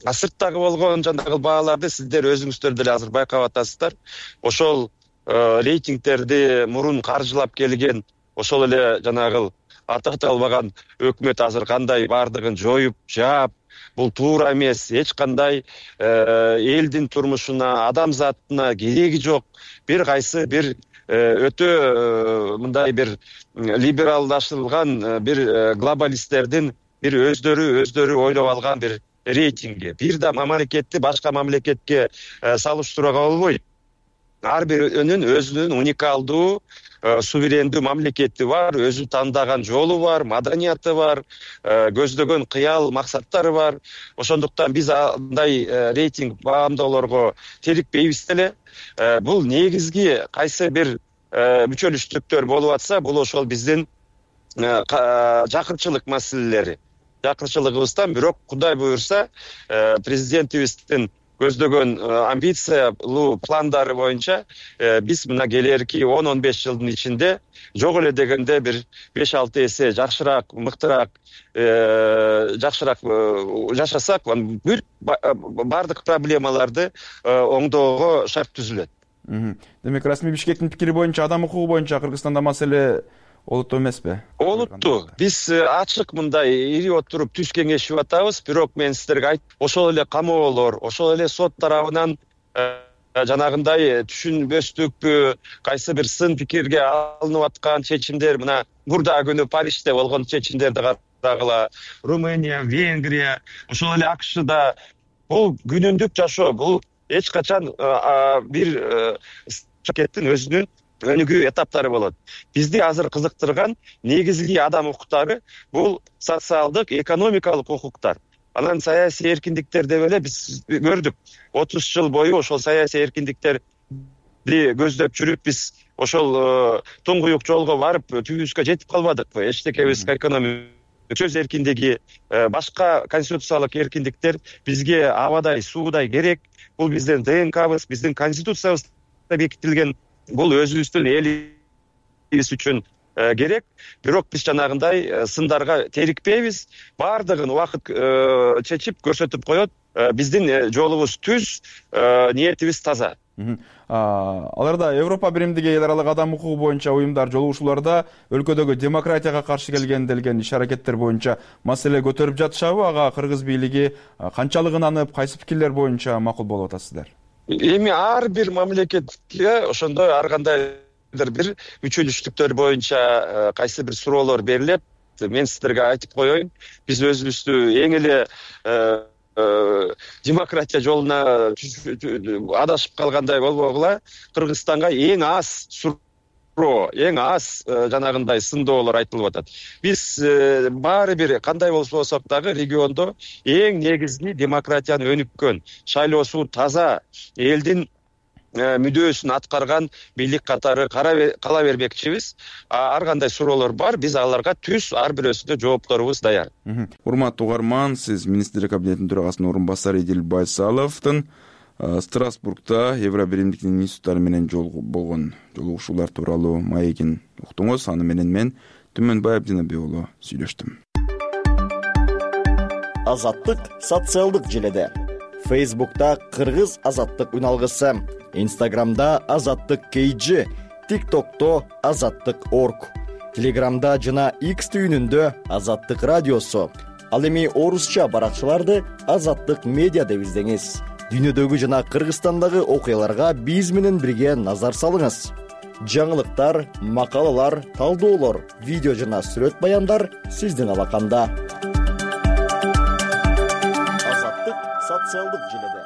Speaker 8: Сырттагы болгон жанагы бааларды сиздер өзүңүздөр деле азыр байкап атасыздар. Ошол рейтингтерди мурун каржылап келген, ошол эле жанагы атакталбаган өкмөт азыр кандай бардыгын жоюп, жаап, бул туура эмес. Эч кандай элдин турмушуна, адамзатына кереги жок. Бир кайсы бир өтө мындай бир либералдашылган бир глобалисттердин бир өздөрү өздөрү ойлоп алган бир рейтинги. Бир да мамлекетти башка мамлекетке салыштырууга болбойт. Ар биринин өзүнүн уникалдуу суверендүү мамлекети бар, өзү тандаган жолу бар, маданияты бар, көздөгөн кыял максаттары бар. Ошондуктан биз андай рейтинг баамдоолорго терикпейбиз деле. Бул негизги кайсы бир мүчөлүштүктөр болуп атса, бул ошол биздин жакырчылык маселелери. Жакырчылыгыбыздан, бирок Кудай буюрса, президентибиздин көздөгөн амбициялуу пландары боюнча биз мына келерки он он беш жылдын ичинде жок эле дегенде бир беш алты эсе жакшыраак, мыктыраак, жакшыраак жашасак, бүт баардык проблемаларды оңдоого шарт түзүлөт.
Speaker 2: Демек, расмий Бишкектин пикири боюнча адам укугу боюнча Кыргызстанда маселе олуттуу эмеспи?
Speaker 8: Олуттуу. Биз ачык мындай ири отуруп түз кеңешип атабыз, бирок мен сиздерге айт, ошол эле камоолор, ошол эле сот тарабынан жанагындай түшүнбөстүкпү, кайсы бир сын пикирге алынып аткан чечимдер, мына мурда күнү Парижде болгон чечимдерди карагыла, Румыния, Венгрия, ошол эле АКШда бул күнүндүк жашоо, бул эч качан бир мамлекеттин өзүнүн өнүгүү этаптары болот. Бизди азыр кызыктырган негизги адам укуктары бул социалдык, экономикалык укуктар. Анан саясий эркиндиктер деп эле биз көрдүк. отуз жыл бою ошол саясий эркиндиктерди көздөп жүрүп биз ошол туңгуюк жолго барып түбүбүзгө жетип калбадыкпы? Эчтекебиз экономика, сөз эркиндиги, башка конституциялык эркиндиктер бизге абадай, суудай керек. Бул биздин ДНКбыз, биздин конституциябызда бекитилген. Бул өзүбүздүн элибиз үчүн керек. Бирок биз жанагындай сындарга терикпейбиз. Баардыгын убакыт чечип көрсөтүп коет. Биздин жолубуз түз, ниетибиз таза.
Speaker 2: Аларда Европа биримдиги эл аралык адам укугу боюнча уюмдар жолугушууларда өлкөдөгү демократияга каршы келген делген иш-аракеттер боюнча маселе көтөрүп жатышабы? Ага кыргыз бийлиги канчалык ынанып, кайсы пикирлер боюнча макул болуп атасыздар?
Speaker 8: Эми ар бир мамлекетке ошондой ар кандайдыр бир мүчөлүштүктөр боюнча кайсы бир суроолор берилет. Мен сиздерге айтып коеюн, биз өзүбүздү эң эле демократия жолуна адашып калгандай болбогула, Кыргызстанга эң аз суроо, эң аз жанагындай сындоолор айтылып атат. Биз баары бир кандай болсок дагы региондо эң негизги демократияны өнүккөн, шайлоосу таза, элдин мүдөөсүн аткарган бийлик катары кала бермекчибиз. Ар кандай суроолор бар, биз аларга түз ар бирөөсүнө жоопторубуз даяр.
Speaker 2: Урматтуу угарман, сиз министрлер кабинетинин төрагасынын орун басары Идил Байсаловдун Страсбургда Евро биримдиктин институттары менен болгон жолугушуулар тууралуу маегин уктуңуз. Аны менен мен Түмөнбай Абдинабек уулу сүйлөштүм.
Speaker 3: Азаттык социалдык желеде. Фейсбукта Кыргыз азаттык үналгысы, Инстаграмда Азаттык кейджи, ТикТокто Азаттык орг, Телеграмда жана X түйүнүндө Азаттык радиосу. Ал эми орусча баракчаларды Азаттык медиа деп издеңиз. Дүйнөдөгү жана Кыргызстандагы окуяларга биз менен бирге назар салыңыз. Жаңылыктар, макалалар, талдоолор, видео жана сүрөт баяндар сиздин алаканда. Азаттык социалдык желеде.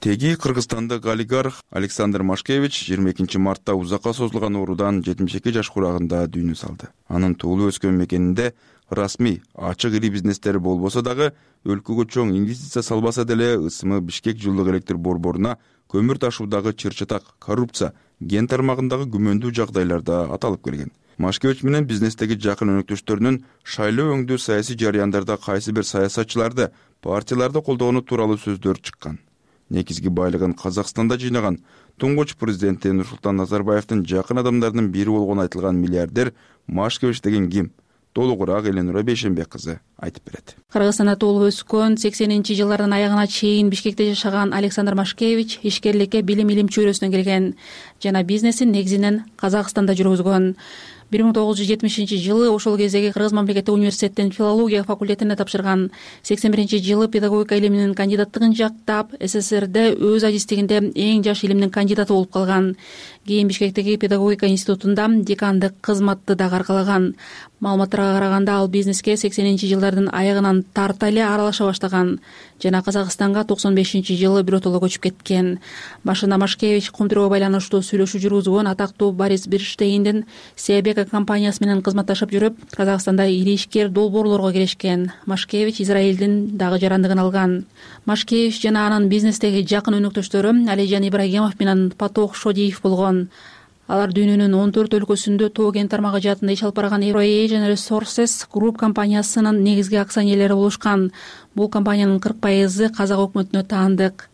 Speaker 2: Теги кыргызстандык олигарх Александр Машкевич жыйырма экинчи мартта узакка созулган оорудан жетимиш эки жаш курагында дүйнө салды. Анын туулуп өскөн мекенинде расмий, ачык ири бизнестери болбосо дагы өлкөгө чоң инвестиция салбаса деле ысымы Бишкек жылдык электр борборуна көмүр ташуудагы чыр-чатак, коррупция, ген тармагындагы күмөндүү жагдайларда аталып келген. Машкевич менен бизнестеги жакын өнөктөштөрүнүн шайлоо өңдүү саясий жарыяндарда кайсы бир саясатчыларды, партияларды колдогону тууралуу сөздөр чыккан. Негизги байлыгын Казакстанда жыйнаган туңгуч президенти Нурсултан Назарбаевдин жакын адамдарынын бири болгону айтылган миллиардер Машкевич деген ким? Толугураак Эленура Бейшенбек кызы айтып берет.
Speaker 10: Кыргызстанда туулуп өскөн, сексенинчи жылдардын аягына чейин Бишкекте жашаган Александр Машкевич ишкерликке билим илим чөйрөсүнөн келген жана бизнесин негизинен Казакстанда жүргүзгөн. бир миң тогуз жүз жетимишинчи жылы ошол кездеги Кыргыз мамлекеттик университеттин филология факультетине тапшырган. сексен биринчи жылы педагогика илиминин кандидаттыгын жактап, СССРде өз адистигинде эң жаш илимдин кандидаты болуп калган. Кийин Бишкектеги педагогика институтунда декандык кызматты дагы аркалаган. Маалыматтарга караганда ал бизнеске сексенинчи жылдардын аягынан тарта эле аралаша баштаган жана Казакстанга токсон бешинчи жылы биротоло көчүп кеткен. Башында Машкевич кум тирөөгө байланыштуу сүйлөшүү жүргүзгөн атактуу Борис Берштейндин Себека компаниясы менен кызматташып жүрүп, Казакстанда ири ишкер долбоорлорго киришкен. Машкевич Израилдин дагы жарандыгын алган. Машкевич жана анын бизнестеги жакын өнөктөштөрү Алижан Ибрагимов менен Патох Шодиев болгон. алар дүйнөнүн он төрт өлкөсүндө тоо кен тармагы жаатында иш алып барган Euro-Asian Resources Group компаниясынын негизги акционерлери болушкан. Бул компаниянын кырк пайызы казак өкмөтүнө таандык.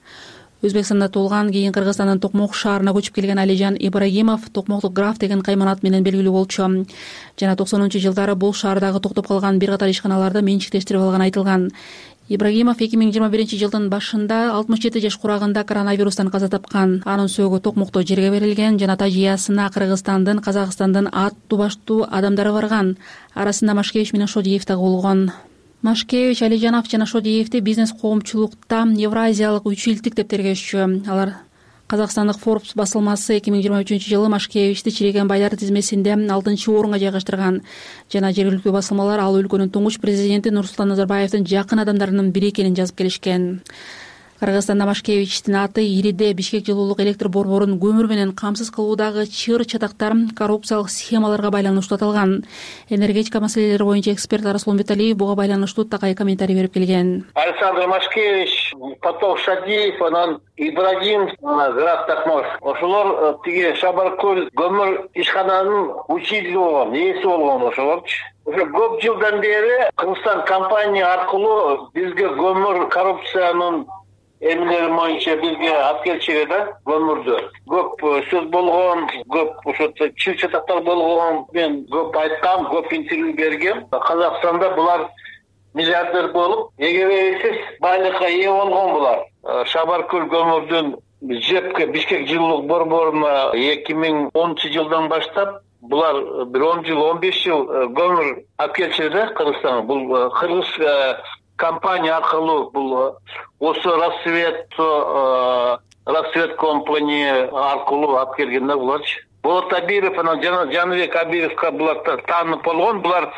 Speaker 10: Өзбекстанда туулган, кийин Кыргызстандын Токмок шаарына көчүп келген Алижан Ибрагимов Токмоктук граф деген кайманат менен белгилүү болчу. Жана токсонунчу жылдары бул шаардагы токтоп калган бир катар ишканаларды менчиктештирип алганы айтылган. Ибрагимов эки миң жыйырма биринчи жылдын башында алтымыш жети жаш курагында коронавирустан каза тапкан. Анын сөөгү Токмокто жерге берилген жана тажыясына Кыргызстандын, Казакстандын аттуу баштуу адамдары барган. Арасында Машкевич менен Шодиев да болгон. Машкевич, Алижанов жана Шодиевди бизнес коомчулукта Евразиялык үч илдик деп тергешчү. Алар Казакстандык Forbes басылмасы эки миң жыйырма үчүнчү жылы Машкевичти чиреген байлар тизмесинде алтынчы орунга жайгаштырган. Жана жергиликтүү басылмалар ал өлкөнүн туңгуч президенти Нурсултан Назарбаевдин жакын адамдарынын бири экенин жазып келишкен. Кыргызстанда Машкевичтин аты Ириде Бишкек жылуулук электр борборун көмүр менен камсыз кылуудагы чыр чатактар коррупциялык схемаларга байланыштуу аталган. Энергетика маселелери боюнча эксперт Араслан Беталиев буга байланыштуу такай комментарий берип келген.
Speaker 11: Александр Машкевич, потом Шадиев, анан Ибрагим, граф Токмок. Ошолор тиги Шабаркөл көмүр ишкананын учители болгон, ээси болгон ошолорчу. Уже көп жылдан бери Кыргызстан компания аркылуу бизге көмүр коррупциянын эмнелери боюнча бизге алып келчү да, көмүрдү. Көп сөз болгон, көп ошо чыр чатактар болгон. Мен көп айткам, көп интервью бергем. Казакстанда булар миллиардер болуп, эгебейсиз байлыкка ээ болгон булар. Шабаркөл көмүрдүн жепке Бишкек жылуулук борборуна эки миң онунчу жылдан баштап булар бир он жыл, он беш жыл көмүр алып келчү да Кыргызстанга. Бул кыргыз компания аркылуу бул осы Рассвет Рассвет компания аркылуу алып келген да буларчы. Болот Абиров анан Жаныбек Абировго булар таанып болгон. Булар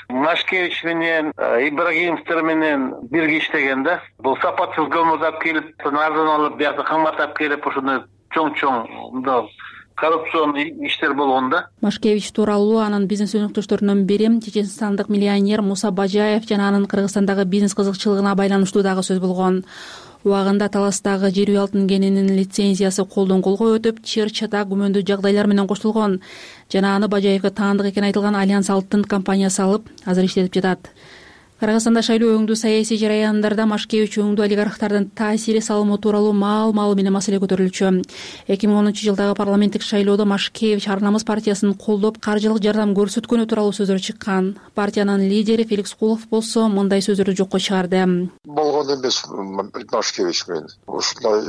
Speaker 11: Машкевич менен Ибрагимовдор менен бирге иштеген да. Бул сапатсыз көмүрдү алып келип, арзан алып, биякта кымбат алып келип, ошондой чоң-чоң мындай коррупцион иштер болгон да.
Speaker 10: Машкевич тууралуу анын бизнес өнөктөштөрүнүн бири чеченстандык миллионер Муса Бажаев жана анын Кыргызстандагы бизнес кызыкчылыгына байланыштуу дагы сөз болгон. Убагында Таластагы жер үй алтын кенинин лицензиясы колдон колго өтүп, чыр чатак күмөндүү жагдайлар менен коштолгон. Жана аны Бажаевге таандык экени айтылган Альянс алтын компаниясы алып, азыр иштетип жатат. Кыргызстанда шайлоо өңдүү саясий жараяндарда Машкевич өңдүү олигархтардын таасири салымы тууралуу маал-маал менен маселе көтөрүлчү. эки миң онунчу жылдагы парламенттик шайлоодо Машкевич Ар намыс партиясын колдоп, каржылык жардам көрсөткөнү тууралуу сөздөр чыккан. Партиянын лидери Феликс Кулов болсо мындай сөздөрдү жокко чыгарды.
Speaker 12: Болгон эмес Машкевич менен. Ушундай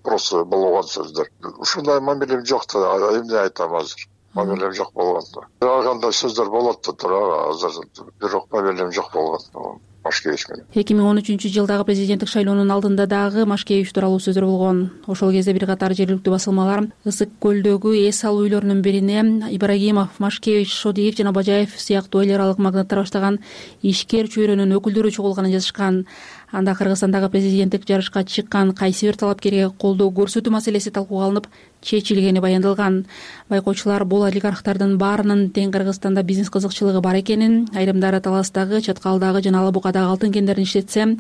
Speaker 12: просто болгон сөздөр. Ушундай мамилем жок да, эмне айтам азыр. Мамилем жок болгон. Кандай сөздөр болот да тура, азыр бирок мамилем жок болгон. Машкевич менен. эки
Speaker 10: миң он үчүнчү жылдагы президенттик шайлоонун алдында дагы Машкевич тууралуу сөздөр болгон. Ошол кезде бир катар жергиликтүү басылмалар Ысык көлдөгү эс алуу үйлөрүнүн бирине Ибрагимов, Машкевич, Шодиев жана Бажаев сыяктуу эл аралык магнаттар баштаган ишкер чөйрөнүн өкүлдөрү чогулганын жазышкан. Анда Кыргызстандагы президенттик жарышка чыккан кайсы бир талапкерге колдоо көрсөтүү маселеси талкууга алынып, чечилгени баяндалган. Байкоочулар бул олигархтардын баарынын тең Кыргызстанда бизнес кызыкчылыгы бар экенин, айрымдары Таластагы, Чаткалдагы жана Ала Букадагы алтын кендерин иштетсе,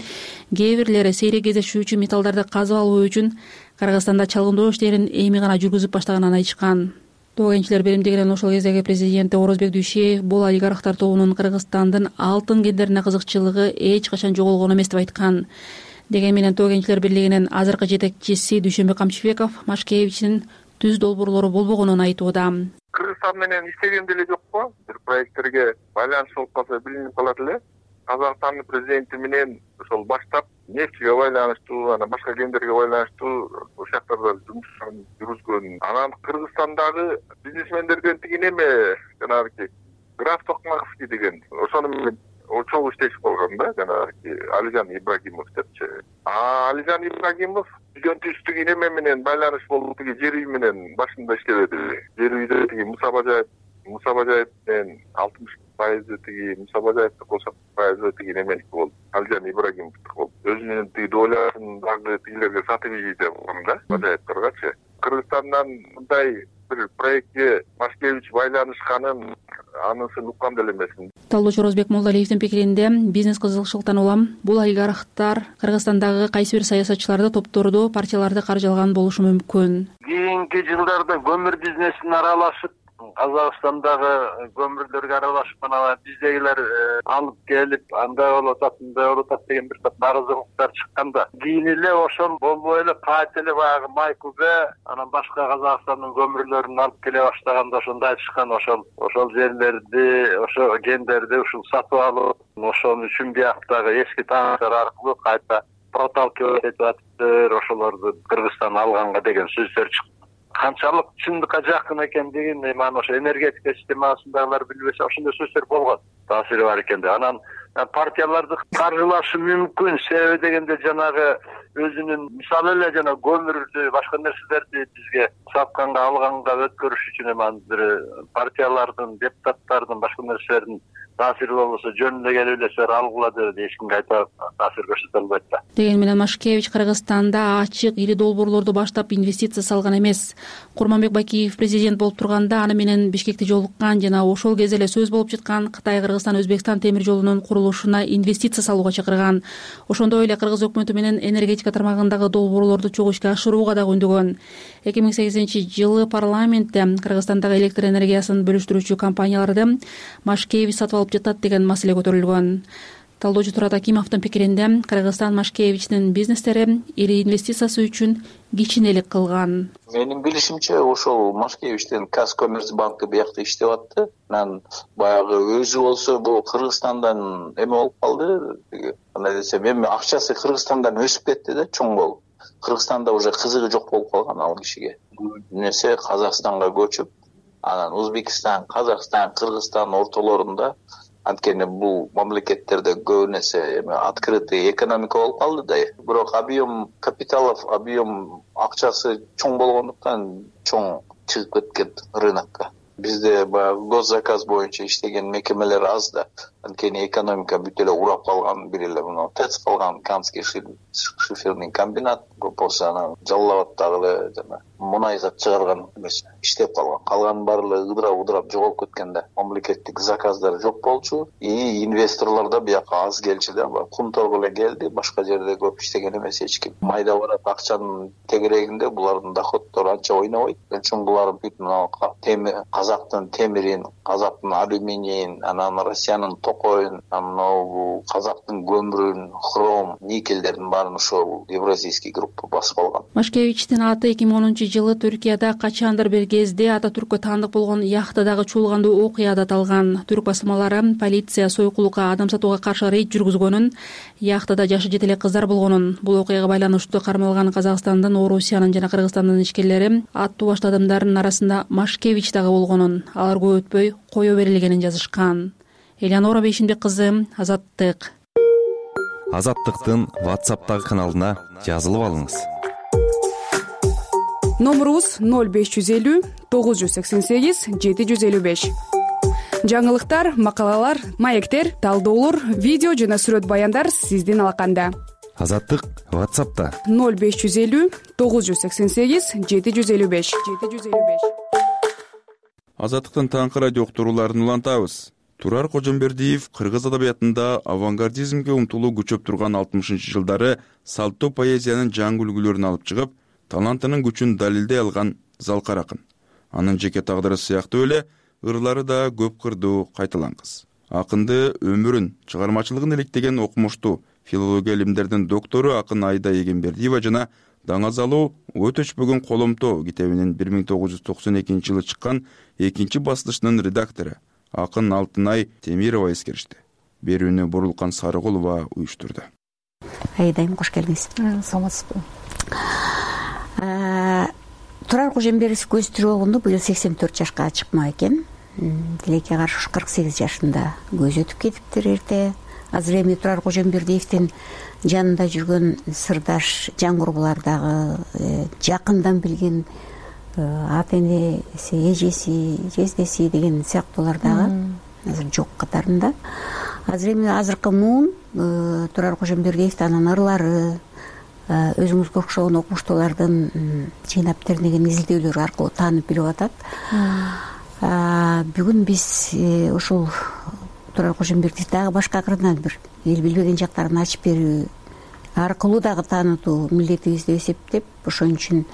Speaker 10: кээ бирлери сейрек кездешүүчү металлдарды казып алуу үчүн Кыргызстанда чалгындоо иштерин эми гана жүргүзүп баштаганын айтышкан. Тоо кенчилер беримдигинен ошол кездеги президенти Орозбек Дүйшеев бул олигархтар тобунун Кыргызстандын алтын кендерине кызыкчылыгы эч качан жоголгон эмес деп айткан. Деген менен Тоо кенчилер бирлигинин азыркы жетекчиси Дүйшөнбек Камчыбеков Машкевичтин түз долбоорлору болбогонун айтууда.
Speaker 23: Кыргызстан менен иштеген деле жокпу? Бир проекттерге байланыш болуп калса билинип калат эле. Казакстандын президенти менен ошол баштап нефтиге байланыштуу, анан башка кендерге байланыштуу ошол жактарда жумуштарын жүргүзгөн. Анан Кыргызстандагы бизнесмендерден тигин эме жанагы граф Токмаковский деген ошону менен чогуу иштешип калган да, жанагы Алижан Ибрагимов депчи. А Алижан Ибрагимов үйдөн түстүгү эме менен байланыш болуп, тиги жер үй менен башында иштебеди. Жер үйдө тиги Муса Бажаев, Муса Бажаев менен алтымыш пайызы тиги Муса Бажаевди кошот пайызы тиги неменики болду. Алижан Ибрагимовдуку болду. Өзүнүн тиги долясын дагы тигилерге сатып ийди деп болгон да, Бажаевдергачы. Кыргызстандан мындай бир проектке Машкевич байланышканын анысын уккан деле эмесмин.
Speaker 10: талдоочу Орозбек Молдалиевдин пикиринде бизнес кызыкчылыктан улам бул олигархтар Кыргызстандагы кайсы бир саясатчыларды, топторду, партияларды каржылаган болушу мүмкүн.
Speaker 11: Кийинки жылдарда көмүр бизнесине аралашып, Казакстандагы көмүрлөргө аралашып, анан биздегилер алып келип, андай болуп атат, мындай болуп атат деген бир топ нааразылыктар чыкканда, кийин эле ошол болбой эле кайта эле баягы Майкубе, анан башка Казакстандын көмүрлөрүн алып келе баштаганда ошондо айтышкан, ошол ошол жерлерди, ошо кендерди ушул сатып алып, ошон үчүн бияктагы эски тааныштар аркылуу кайта проталкивать этип атыптыр, ошолорду Кыргызстан алганга деген сөздөр чыкты. Канчалык чындыкка жакын экендигин эми аны ошо энергетика системасындагылар билбесе, ошондой сөздөр болгон, таасири бар экен деп. Анан партияларды каржылашы мүмкүн, себеби дегенде жанагы өзүнүн мисалы эле жана көмүрдү, башка нерселерди бизге сатканга, алганга өткөрүш үчүн эми бир партиялардын, депутаттардын, башка нерселердин таасири болбосо жөн эле келип эле силер алгыла деп эч кимге айта таасир көрсөтө албайт да.
Speaker 10: Деген менен Машкевич Кыргызстанда ачык ири долбоорлорду баштап инвестиция салган эмес. Курманбек Бакиев президент болуп турганда аны менен Бишкекте жолуккан жана ошол кезде эле сөз болуп жаткан Кытай Кыргызстан Өзбекстан темир жолунун курулушуна инвестиция салууга чакырган. Ошондой эле Кыргыз өкмөтү менен энергетика тармагындагы долбоорлорду чогуу ишке ашырууга дагы үндөгөн. эки миң сегизинчи жылы парламентте Кыргызстандагы электр энергиясын бөлүштүрүүчү компанияларды Машкевич сатып алып жатат деген маселе көтөрүлгөн. Талдоочу Турат Акимовдун пикиринде Кыргызстан Машкевичтин бизнестери ири инвестициясы үчүн кичинелик кылган.
Speaker 9: Менин билишимче ошол Машкевичтин Казкоммерцбанкы биякта иштеп атты. Анан баягы өзү болсо бул Кыргызстандан эме болуп калды. Кандай десем, эми акчасы Кыргызстандан өсүп кетти да, чоң болуп. Кыргызстанда уже кызыгы жок болуп калган ал кишиге. Нерсе Казакстанга көчүп, анан Өзбекстан, Казакстан, Кыргызстан ортолорунда анткени бул мамлекеттерде көбү нерсе эми открытый экономика болуп калды да. Бирок объем капиталов, объем акчасы чоң болгондуктан чоң чыгып кеткен рынокко. Бизде баягы госзаказ боюнча иштеген мекемелер аз да. Анткени экономика бүт эле урап калган, бир эле мына ТЭЦ калган, Канский шиферный комбинат, болсо анан Жалал Абаддагы эле жана мунай зат чыгарган эмес иштеп калган. Калган баары эле ыдырап-ыдырап жоголуп кеткен да. Мамлекеттик заказдар жок болчу, и инвесторлор да бияка аз келчү да. Кумторго эле келди, башка жерде көп иштеген эмес эч ким. Майда барат акчанын тегерегинде булардын доходдору анча ойнобойт. Ошон булар бүт мына Казактын темирин, Казактын алюминийин, анан Россиянын токойун, анан Казактын көмүрүн, хром, никелдердин баарын ошол Евразийский группа басып алган.
Speaker 10: Машкевичтин аты эки миң онунчу жылы Түркияда качандыр бир кезде Ататүрккө таандык болгон яхтадагы чуулгандуу окуяда аталган. Түрк басмалары полиция сойкулукка, адам сатууга каршы рейд жүргүзгөнүн, яхтада жашы жете эле кыздар болгонун, бул окуяга байланыштуу кармалган Казакстандын, Орусиянын жана Кыргызстандын ишкерлери аттуу башты адамдардын арасында Машкевич дагы болгонун, алар көп өтпөй кое берилгенин жазышкан. Элеонора Бейшимбек кызы, Азаттык.
Speaker 13: Азаттыктын WhatsApp'тагы каналына жазылып алыңыз.
Speaker 18: Номерубуз ноль беш жүз элүү тогуз жүз сексен сегиз жети жүз элүү беш. Жаңылыктар, макалалар, маектер, талдоолор, видео жана сүрөт баяндар сиздин алаканда.
Speaker 13: Азаттык WhatsApp'та
Speaker 18: ноль беш жүз элүү тогуз жүз сексен сегиз жети жүз элүү беш жети жүз элүү беш.
Speaker 2: Азаттыктын таңкы радио уктурууларын улантабыз. Турар Кожомбердиев кыргыз адабиятында авангардизмге умтулуу күчөп турган алтымышынчы жылдары салттуу поэзиянын жаңы үлгүлөрүн алып чыгып, талантынын күчүн далилдей алган залкар акын. Анын жеке тагдыры сыяктуу эле ырлары да көп кырдуу кайталан кыз. Акынды өмүрүн, чыгармачылыгын иликтеген окумуштуу филология илимдердин доктору акын Айда Эгембердиева жана Даңазалуу өтө өчпөгөн коломто китебинин бир миң тогуз жүз токсон экинчи жылы чыккан экинчи басылышынын редактору акын Алтынай Темирова эскеришти. Берүүнү Бурулкан Сарыгулова уюштурду.
Speaker 15: Айдайым, кош келдиңиз. Саламатсызбы. Турар Кожомбердиев көз тирүү быйыл сексен төрт жашка чыкмак экен. Тилекке каршы кырк сегиз жашында көз өтүп кетиптир эрте. Азыр эми Турар Кожомбердиевдин жанында жүргөн сырдаш, жан курбулардагы жакындан билген ата энеси, эжеси, жездеси деген сыяктуулар дагы азыр жок катарында. Азыр эми азыркы муун Турар Кожомбердиевди анын ырлары, өзүңүзгө окшогон окумуштуулардын жыйнап тернеген изилдөөлөрү аркылуу таанып билип атат. Бүгүн биз ушул турар Кожомбердиев дагы башка кырынан бир эл билбеген жактарын ачып берүү аркылуу дагы таанытуу милдетибиз деп эсептеп, ошон үчүн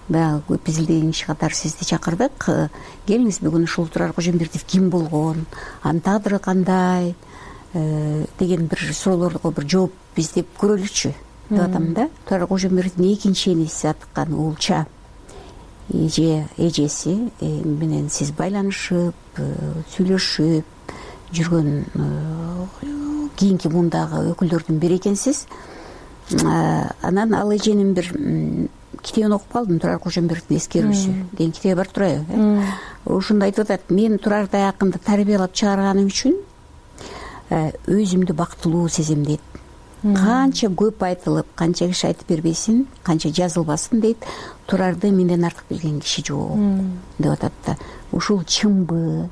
Speaker 15: баягы көп изилдеген киши катары сизди чакырдык. Келиңиз бүгүн ушул Турар Кожомбердиев ким болгон, анын тагдыры кандай деген бир суроолорго бир жооп издеп көрөлүчү деп атам да. Турар Кожомбердиевдин экинчи энеси аткан уулча эже эжеси менен сиз байланышып, сүйлөшүп жүргөн кийинки мундагы өкүлдөрдүн бири экенсиз. Анан ал эженин бир китебин окуп калдым, Турар Кожомбердиевдин эскерүүсү деген китеби бар турабы. Ошондо айтып атат, мен Турардай акынды тарбиялап чыгарганым үчүн өзүмдү бактылуу сезем дейт. Канча көп айтылып, канча киши айтып бербесин, канча жазылбасын дейт, Турарды менден артык билген киши жок деп атат да. Ушул чынбы?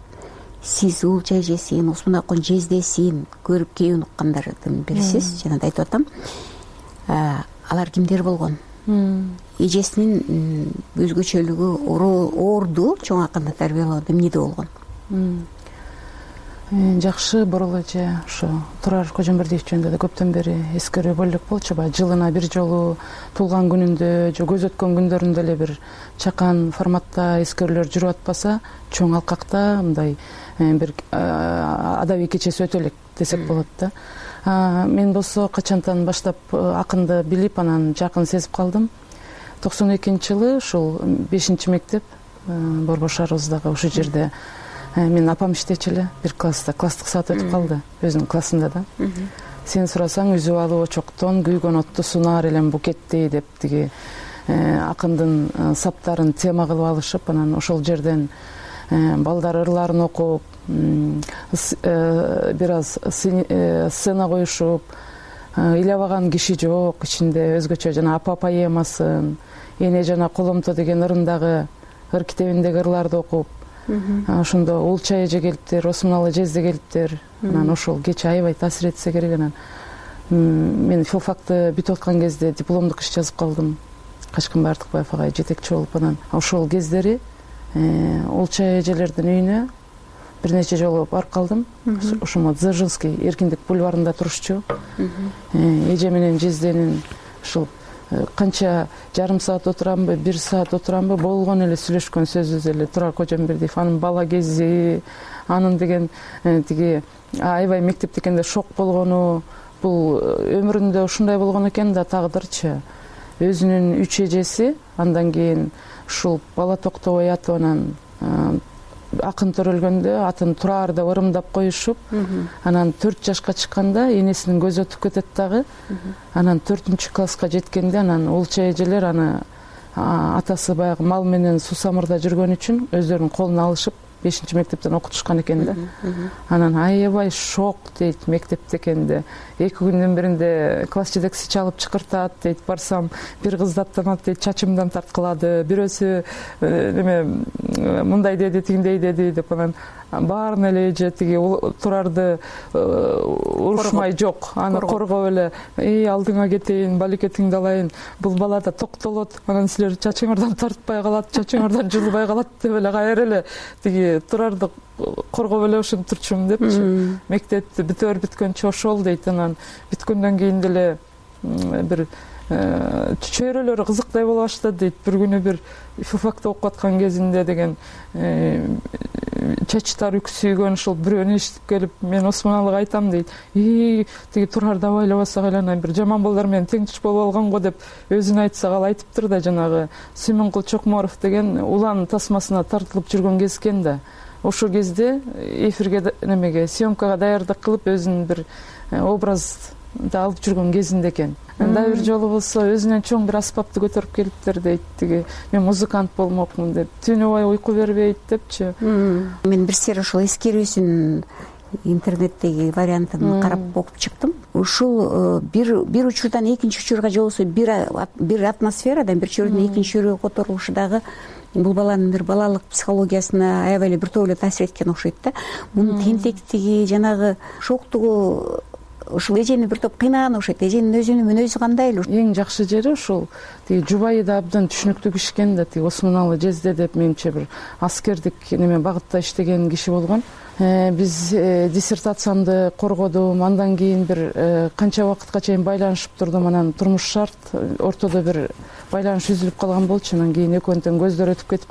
Speaker 15: Сиз уулча эжесин, Осмонакун жездесин көрүп кийин уккандардын бирисиз. Жана да айтып атам, алар кимдер болгон? Эжесинин өзгөчөлүгү орду чоң акынды тарбиялоодо эмнеде болгон?
Speaker 4: Жакшы, Борол эже, ошо Турар Кожомбердиев жөнүндө да көптөн бери эскерүү бөлүк болчу. Баягы жылына бир жолу туулган күнүндө же көз өткөн күндөрүндө эле бир чакан форматта эскерүүлөр жүрүп атпаса, чоң алкакта мындай бир адабий кечеси өтө элек десек болот да. Мен болсо качантан баштап акынды билип, анан жакын сезип калдым. токсон экинчи жылы ушул бешинчи мектеп Борбор шаарыбыздагы ушул жерде менин апам иштечү эле, бир класста класстык саат өтүп калды өзүнүн классында да. Сен сурасаң үзүп алып очоктон күйгөн отту сунаар элем букеттей деп тиги акындын саптарын тема кылып алышып, анан ошол жерден балдар ырларын окуп, бир аз сцена коюшуп, ыйлабаган киши жок ичинде, өзгөчө жана апа поэмасын, эне жана коломто деген ырындагы ыр китебиндеги ырларды окуп, ошондо уулча эже келиптир, Осмоналы жезде келиптир. Анан ошол кече аябай таасир этсе керек. Анан мен филфакты бүтүп аткан кезде дипломдук иш жазып калдым. Качкынбай Артыкбаев агай жетекчи болуп, анан ошол кездери уулча эжелердин үйүнө бир нече жолу барып калдым. Ошомо Дзержинский Эркиндик бульварында турушчу. Эже менен жезденин ушул канча жарым саат отурамбы, бир саат отурамбы, болгон эле сүйлөшкөн сөзүбүз эле Турар Кожомбердиев, анын бала кези, анын деген тиги аябай мектепте экенде шок болгону, бул өмүрүндө ушундай болгон экен да, тагдырчы. Өзүнүн үч эжеси, андан кийин ушул бала токтобой атып, анан акын төрөлгөндө атын Турар деп ырымдап коюшуп, анан төрт жашка чыкканда энесинин көзү өтүп кетет дагы. Анан төртүнчү класска жеткенде анан уулча эжелер аны атасы баягы мал менен Сусамырда жүргөн үчүн өздөрүнүн колуна алышып бешинчи мектептен окутушкан экен да. Анан аябай шок дейт, мектепте экенде. Эки күндүн биринде класс жетекчиси чалып чакыртат дейт, барсам бир кызды аттанат дейт, чачымдан тарткылады, бирөөсү неме мындай деди, тигиндей деди деп, анан баарын эле эже тиги Турарды урушмай жок, аны коргоп эле, эй алдыңа кетейин, балекетиңди алайын, бул бала да токтолот, анан силер чачыңардан тартпай калат, чачыңардан жулбай калат деп эле кайра эле тиги Турарды коргоп эле ушинтип турчумун депчи. Мектепти бүтөр бүткөнчө ошол дейт. Анан бүткөндөн кийин деле бир чөйрөлөрү кызыктай боло баштады дейт. Бир күнү бир филфакты окуп аткан кезинде деген чачтары үксүйгөн ушул бирөөнү эшитип келип, мен Осмоналыга айтам дейт. И тиги Турарды абайлабасак эле анан бир жаман балдар менен тең туш болуп алган го деп өзүн айтсак, ал айтыптыр да, жанагы Сүймөнкул Чокморов деген улан тасмасына тартылып жүргөн кез экен да. Ошол кезде эфирге немеге съемкага даярдык кылып өзүнүн бир образды алып жүргөн кезинде экен. Дагы бир жолу болсо өзүнөн чоң бир аспапты көтөрүп келиптир дейт, тиги мен музыкант болмокмун деп, түнү бою уйку бербейт депчи.
Speaker 15: Мен бир сер ошол эскерүүсүн интернеттеги вариантын карап окуп чыктым. Ушул бир бир учурдан экинчи учурга же болбосо бир бир атмосферадан бир чөйрөдөн экинчи чөйрөгө которулушу дагы бул баланын бир балалык психологиясына аябай эле биртоп эле таасир эткен окшойт да. Мунун тентектиги, жанагы шоктугу ушул эжени бир топ кыйнаган окшойт. Эженин өзүнүн мүнөзү кандай эле?
Speaker 4: Эң жакшы жери ушул тиги жубайы да абдан түшүнүктүү киши экен да. Тиги Осмоналы жезде деп менимче бир аскердик неме багытта иштеген киши болгон. биз диссертациямды коргодум, андан кийин бир канча убакытка чейин байланышып турдум, анан турмуш шарт, ортодо бир байланыш үзүлүп калган болчу. Анан кийин экөөнүн көздөр өтүп кетип,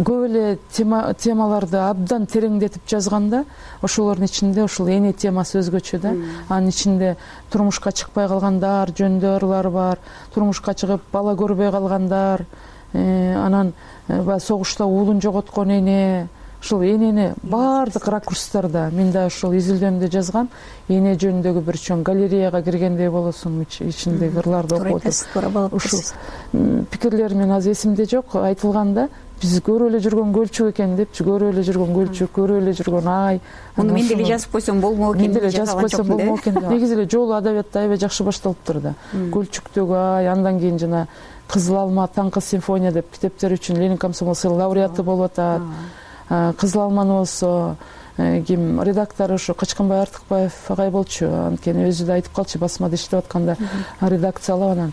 Speaker 4: көп эле темаларды абдан тереңдетип жазганда, ошолордун ичинде ушул эне темасы өзгөчө да. Анын ичинде турмушка чыкпай калгандар жөнүндө ырлар бар, турмушка чыгып бала көрбөй калгандар, анан баягы согушта уулун жоготкон эне, ушул энени баардык ракурстарда мен да ушул изилдөмдү жазгам. Эне жөнүндөгү бир чоң галереяга киргендей болосуң, ичиндеги ырларды окуп отуруп. Ушул пикирлер мен азыр эсимде жок, айтылганда биз көрүп эле жүргөн көлчүк экен депчи, көрүп эле жүргөн көлчүк, көрүп эле жүргөн ай.
Speaker 15: Муну мен деле жазып койсом болмок экен,
Speaker 4: мен деле жазып койсом болмок экен. Негизи эле жолу адабиятта аябай жакшы башталыптыр да. Көлчүктөгү ай, андан кийин жана Кызыл алма, Таңкы симфония деп китептер үчүн Ленин комсомол сыйлыгы лауреаты болуп атат. Кызыл алманы болсо ким редактору ушу Качканбай Артыкбаев агай болчу. Анткени өзү да айтып калчу, басмада иштеп атканда редакциялап, анан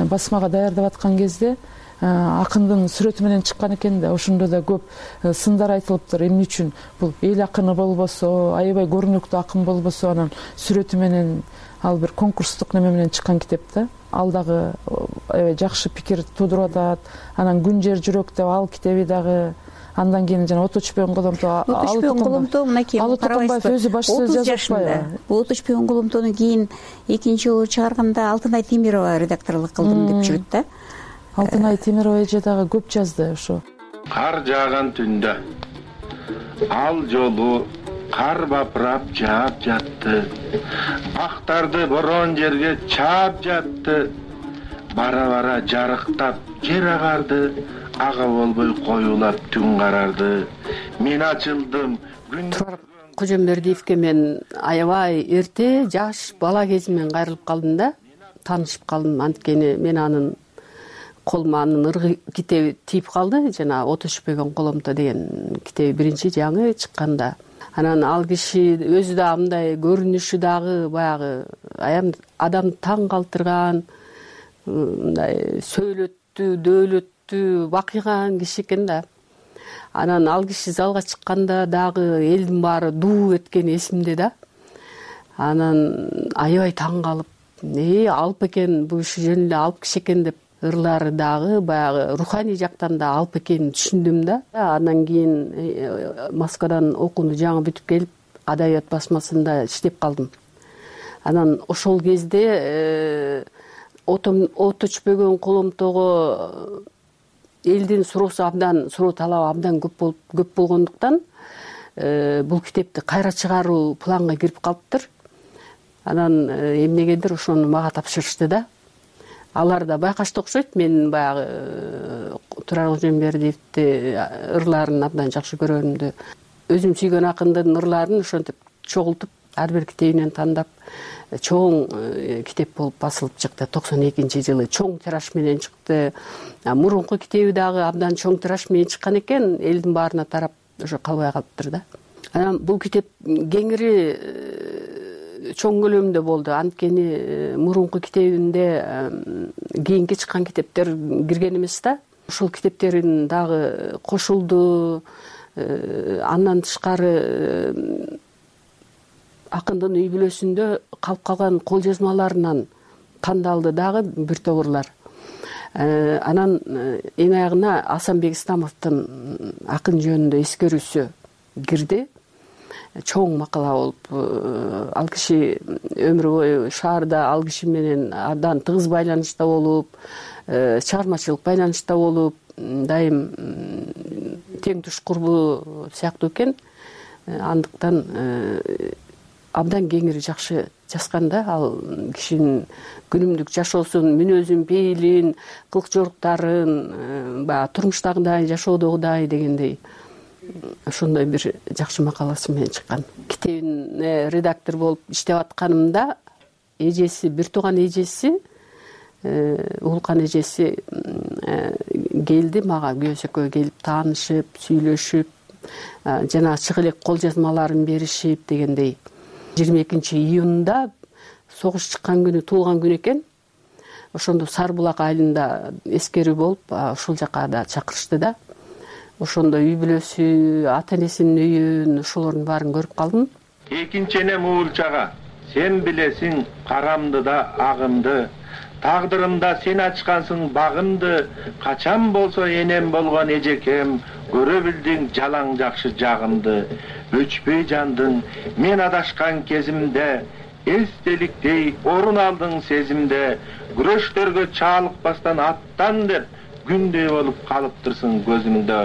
Speaker 4: басмага даярдап аткан кезде акындын сүрөтү менен чыккан экен да. Ошондо да көп сындар айтылыптыр. Эмне үчүн бул эл акыны болбосо, аябай көрүнүктүү акын болбосо, анан сүрөтү менен ал бир конкурстук неме менен чыккан китеп да. Ал дагы аябай жакшы пикир туудуруп атат. Анан Күн жер жүрөк деп ал китеби дагы, андан кийин жана От өчпөгөн коломто,
Speaker 15: От өчпөгөн коломто мынакей
Speaker 4: Карабаев өзү башчысы жазып атпайбы?
Speaker 15: От өчпөгөн коломтону кийин экинчи жолу чыгарганда Алтынай Темирова редакторлук кылдым деп жүрөт да.
Speaker 4: Алтынай Темирова эже дагы көп жазды ошо.
Speaker 14: Кар жааган түндө ал жолу кар бапырап жаап жатты. Бактарды борон жерге чаап жатты. Бара-бара жарыктап жер агарды. Ага болбой коюлап түн карарды. Мен ачылдым.
Speaker 16: Турар Кожомбердиевке мен аябай эрте жаш бала кезимен кайрылып калдым да, таанышып калдым. Анткени мен анын колума анын ыргы китеби тийип калды. Жана От өчпөгөн коломто деген китеби биринчи жаңы чыкканда. Анан ал киши өзү да мындай көрүнүшү дагы баягы аябай адамды таң калтырган, мындай сөйлөттүү, дөөлөттүү, бакыйган киши экен да. Анан ал киши залга чыкканда дагы элдин баары дуу эткени эсимде да. Анан аябай таң калып, э алып экен, бул киши жөн эле алып киши экен деп, ырлары дагы баягы руханий жактан да алып экенин түшүндүм да. Андан кийин Москвадан окууну жаңы бүтүп келип, адабият басмасында иштеп калдым. Анан ошол кезде От өчпөгөн коломтого элдин суроосу абдан, суроо талабы абдан көп болуп көп болгондуктан бул китепти кайра чыгаруу планга кирип калыптыр. Анан эмнегедир ошону мага тапшырышты да. Алар да байкашты окшойт. Мен баягы Турар Кожомбердиевди ырларын абдан жакшы көргөнүмдү, өзүм сүйгөн акындын ырларын ошентип чогултуп, ар бир китебинен тандап, чоң китеп болуп басылып чыкты. токсон экинчи жылы чоң тираж менен чыкты. Мурунку китеби дагы абдан чоң тираж менен чыккан экен, элдин баарына тарап ошо калбай калыптыр да. Анан бул китеп кеңири чоң көлөмдө болду. Анткени мурунку китебинде кийинки чыккан китептер кирген эмес да. Ошол китептерин дагы кошулду. Андан тышкары акындын үй бүлөсүндө калып калган кол жазмаларынан тандалды дагы бир топ ырлар. Анан эң аягына Асанбек Исламовдун акын жөнүндө эскерүүсү кирди. Чоң макала болуп, ал киши өмүр бою шаарда ал киши менен абдан тыгыз байланышта болуп, чыгармачылык байланышта болуп, дайым тең туш курбу сыяктуу экен. Андыктан абдан кеңири жакшы жазган да. Ал кишинин күнүмдүк жашоосун, мүнөзүн, пейилин, кылык жоруктарын, баягы турмуштагыдай, жашоодогудай дегендей ошондой бир жакшы макаласы менен чыккан. Китебин редактор болуп иштеп атканымда эжеси, бир тууган эжеси, Уулкан эжеси келди мага, күйөөсү экөө келип таанышып, сүйлөшүп, жана чыгы элек кол жазмаларын беришип дегендей. жыйырма экинчи июнда согуш чыккан күнү туулган күн экен. Ошондо Сары булак айылында эскерүү болуп, ошол жака да чакырышты да. ошондо үй бүлөсү, ата энесинин үйүн, ошолордун баарын көрүп калдым.
Speaker 14: Экинчи энем Уулчага, сен билесиң карамды да агымды, тагдырымда сен ачкансың багымды, качан болсо энем болгон эжекем, көрө билдиң жалаң жакшы жагымды. Өчпөй жандың мен адашкан кезимде, эстеликтей орун алдың сезимде, күрөштөргө чаалыкпастан аттан деп күндөй болуп калыптырсың көзүмдө.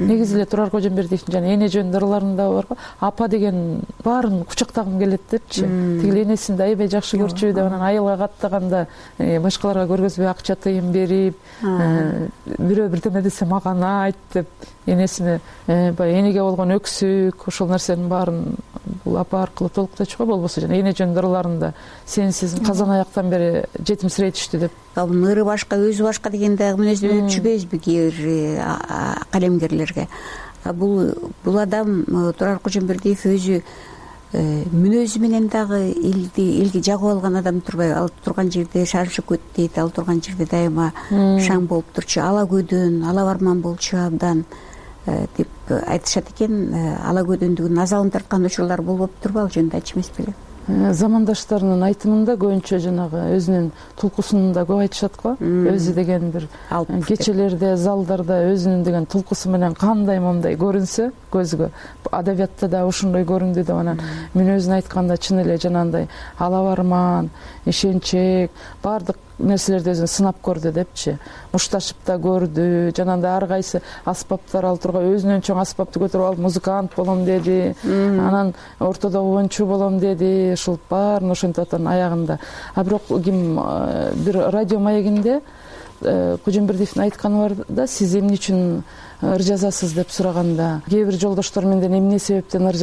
Speaker 4: Негизи эле Турар Кожомбердиевдин жана эне жөнүндө ырларында барго, апа деген баарын кучактагым келет депчи. Тигил энесин да аябай жакшы көрчү деп, анан айылга каттаганда башкаларга көргөзбөй акча тыйын берип, бирөө бирдеме десе мага айт деп, энесине баягы энеге болгон өксүк, ошол нерсенин баарын бул апа аркылуу толукточу го. Болбосо жана эне жөнүндө ырларында сенсиз казан аяктан бери жетимсиретиштү деп.
Speaker 15: Бул ыры башка, өзү башка деген дагы мүнөздөн өтүшпөйбүзбү кээ бир калемгерлерге? Бул бул адам Турар Кожомбердиев өзү мүнөзү менен дагы элди элге жагып алган адам турбайбы? Ал турган жерде шаршып көт дейт, ал турган жерде дайыма шаң болуп турчу, ала көдөн, ала барман болчу абдан деп айтышат экен. Ала көдөндүгүн азабын тарткан учурлар болуп турбу? Ал жөнүндө айтчу эмес беле?
Speaker 4: Замандаштарынын айтымында көбүнчө жанагы өзүнүн тулкусун да көп айтышат го. Өзү деген бир кечелерде, залдарда өзүнүн деген тулкусу менен кандай момундай көрүнсө көзгө, адабиятта да ушундай көрүндү деп, анан мүнөзүн айтканда чын эле жанагындай ала барман, ишенчек, баардык нерселерди өзүн сынап көрдү депчи. Мушташып да көрдү, жанагындай ар кайсы аспаптар ал тургай өзүнөн чоң аспапты көтөрүп алып музыкант болом деди, анан ортодо уончу болом деди, ушул баарын ошентип атат аягында. А бирок ким бир радио маегинде Кожомбердиевдин айтканы бар да, сиз эмне үчүн ыр жазасыз деп сураганда, кээ бир жолдоштор менден эмне себептен ыр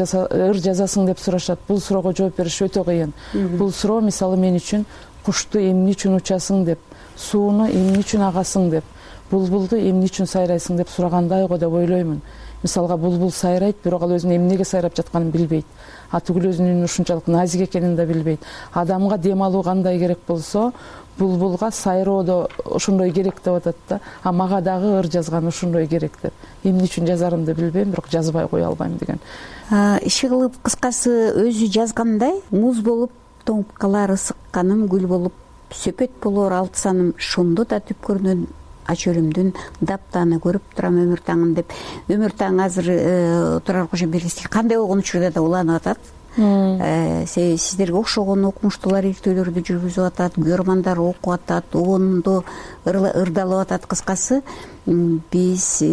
Speaker 4: жазасың деп сурашат. Бул суроого жооп бериш өтө кыйын. Бул суроо мисалы мен үчүн кушту эмне үчүн учасың деп, сууну эмне үчүн агасың деп, булбулду эмне үчүн сайрайсың деп сурагандай го деп ойлоймун. Мисалга булбул сайрайт, бирок ал өзүнүн эмнеге сайрап жатканын билбейт. А түгүл өзүнүн ушунчалык назик экенин да билбейт. Адамга дем алуу кандай керек болсо, булбулга сайроо да ошондой керек деп атат да. А мага дагы ыр жазган ошондой керек деп. Эмне үчүн жазарымды билбейм, бирок жазбай кое албайм деген.
Speaker 15: Иши кылып кыскасы өзү жазгандай, муз болуп тоңуп калар ысыкканым, гүл болуп сөпөт болор алтысаным, шунду да түпкөрүнөн ачөлүмдүн даптаны көрүп турам өмүр таңын деп. Өмүр таң азыр Турар Кожомбердиев кандай болгон учурда да уланып атат. Сиздерге окшогон окумуштуулар иртөөлөрдү жүргүзүп атат, көрмандар окуп атат, оонду ырдалып атат. Кыскасы биз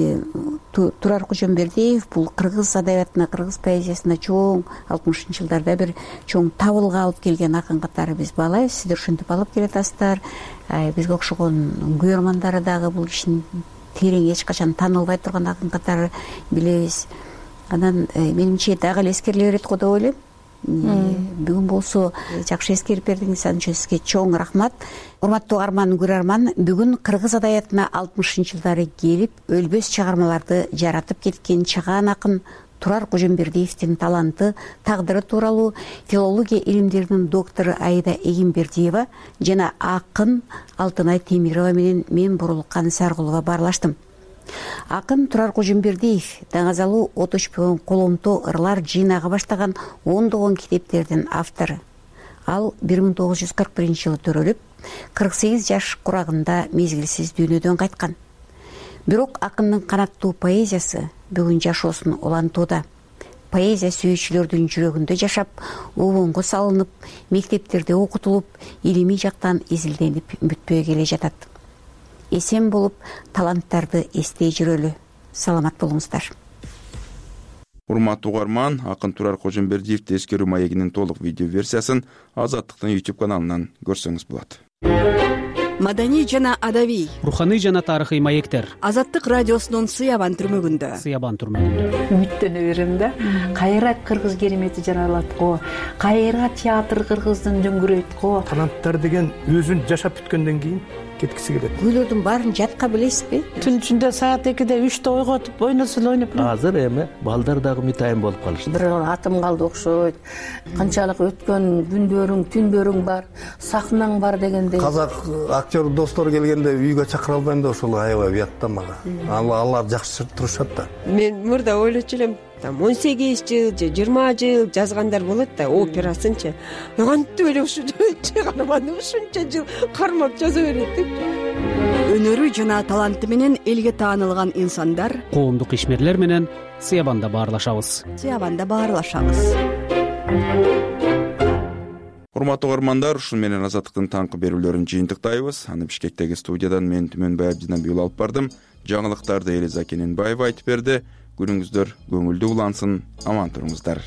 Speaker 15: Турар Кожомбердиев бул кыргыз адабиятына, кыргыз поэзиясына чоң алтымышынчы жылдарда бир чоң табылга алып келген акын катары биз баалайбыз. Сиздер ушинтип алып келатасыздар. Бизге окшогон көрмандары дагы бул кишинин терең эч качан таанылбай турган акын катары билебиз. Анан менимче дагы эле эскериле берет го деп ойлойм. Бүгүн болсо жакшы эскерип бердиңиз, анын үчүн сизге чоң рахмат. Урматтуу угарман, көрөрман, бүгүн кыргыз адабиятына алтымышынчы жылдары келип өлбөс чыгармаларды жаратып кеткен чыгаан акын Турар Кожомбердиевдин таланты, тагдыры тууралуу филология илимдеринин доктору Аида Эгембердиева жана акын Алтынай Темирова менен мен Бурулкан Саргулова баарлаштым. Акын Турар Кожомбердиев даңазалуу отучпогон коломто ырлар жыйнага баштаган ондогон китептердин автору. Ал бир миң тогуз жүз кырк биринчи жылы төрөлүп, кырк сегиз жаш курагында мезгилсиз дүйнөдөн кайткан. Бирок акындын канаттуу поэзиясы бүгүн жашоосун улантууда. Поэзия сүйүүчүлөрдүн жүрөгүндө жашап, обонго салынып, мектептерде окутулуп, илимий жактан изилденип бүтпөй келе жатат. Эсен болуп, таланттарды эстей жүрөлү. Саламат болуңуздар.
Speaker 2: Урматтуу угарман, акын Турар Кожомбердиевди эскерүү маегинин толук видео версиясын Азаттыктын YouTube каналынан көрсөңүз болот.
Speaker 17: Маданий жана адабий,
Speaker 19: руханий жана тарыхый маектер.
Speaker 17: Азаттык радиосунун Сыябан түрмөгүндө.
Speaker 19: Сыябан түрмөгүндө.
Speaker 20: Үмүттөнө берем да. Кайра кыргыз керемети жаралат го. Кайра театр кыргыздын дөңгүрөйт го.
Speaker 24: Таланттар деген өзүн жашап бүткөндөн кийин
Speaker 5: кеткиси келет.
Speaker 15: Күйлөрдүн баарын жатка билесизби?
Speaker 21: Түн ичинде саат экиде үчтө ойготуп ойносо эле ойноп.
Speaker 5: Азыр эми балдар дагы мытайын болуп калышты.
Speaker 21: Бир атым калды окшойт. Канчалык өткөн күндөрүң, түндөрүң бар, сахнаң бар дегендей.
Speaker 5: Казак актер достор келгенде үйгө чакыра албайм да ошол аябай уятта мага. Алар жакшы турушат да.
Speaker 22: Мен мурда ойлочу элем, там он сегиз жыл же жыйырма жыл жазгандар болот да, операсынчы. Кантип эле ушу чыгарманы ушунча жыл кармап жаза берет деп.
Speaker 17: Өнөрү жана таланты менен элге таанылган инсандар
Speaker 19: коомдук ишмерлер менен Сыябанда баарлашабыз.
Speaker 17: Сыябанда баарлашабыз.
Speaker 2: Урматтуу угармандар, ушун менен Азаттыктын таңкы берүүлөрүн жыйынтыктайбыз. Аны Бишкектеги студиядан мен Түмөнбай Абдинабиул алып бардым. Жаңылыктарды Элиза Кененбаева айтып берди. Күнүңүздөр көңүлдүү улансын, аман туруңуздар.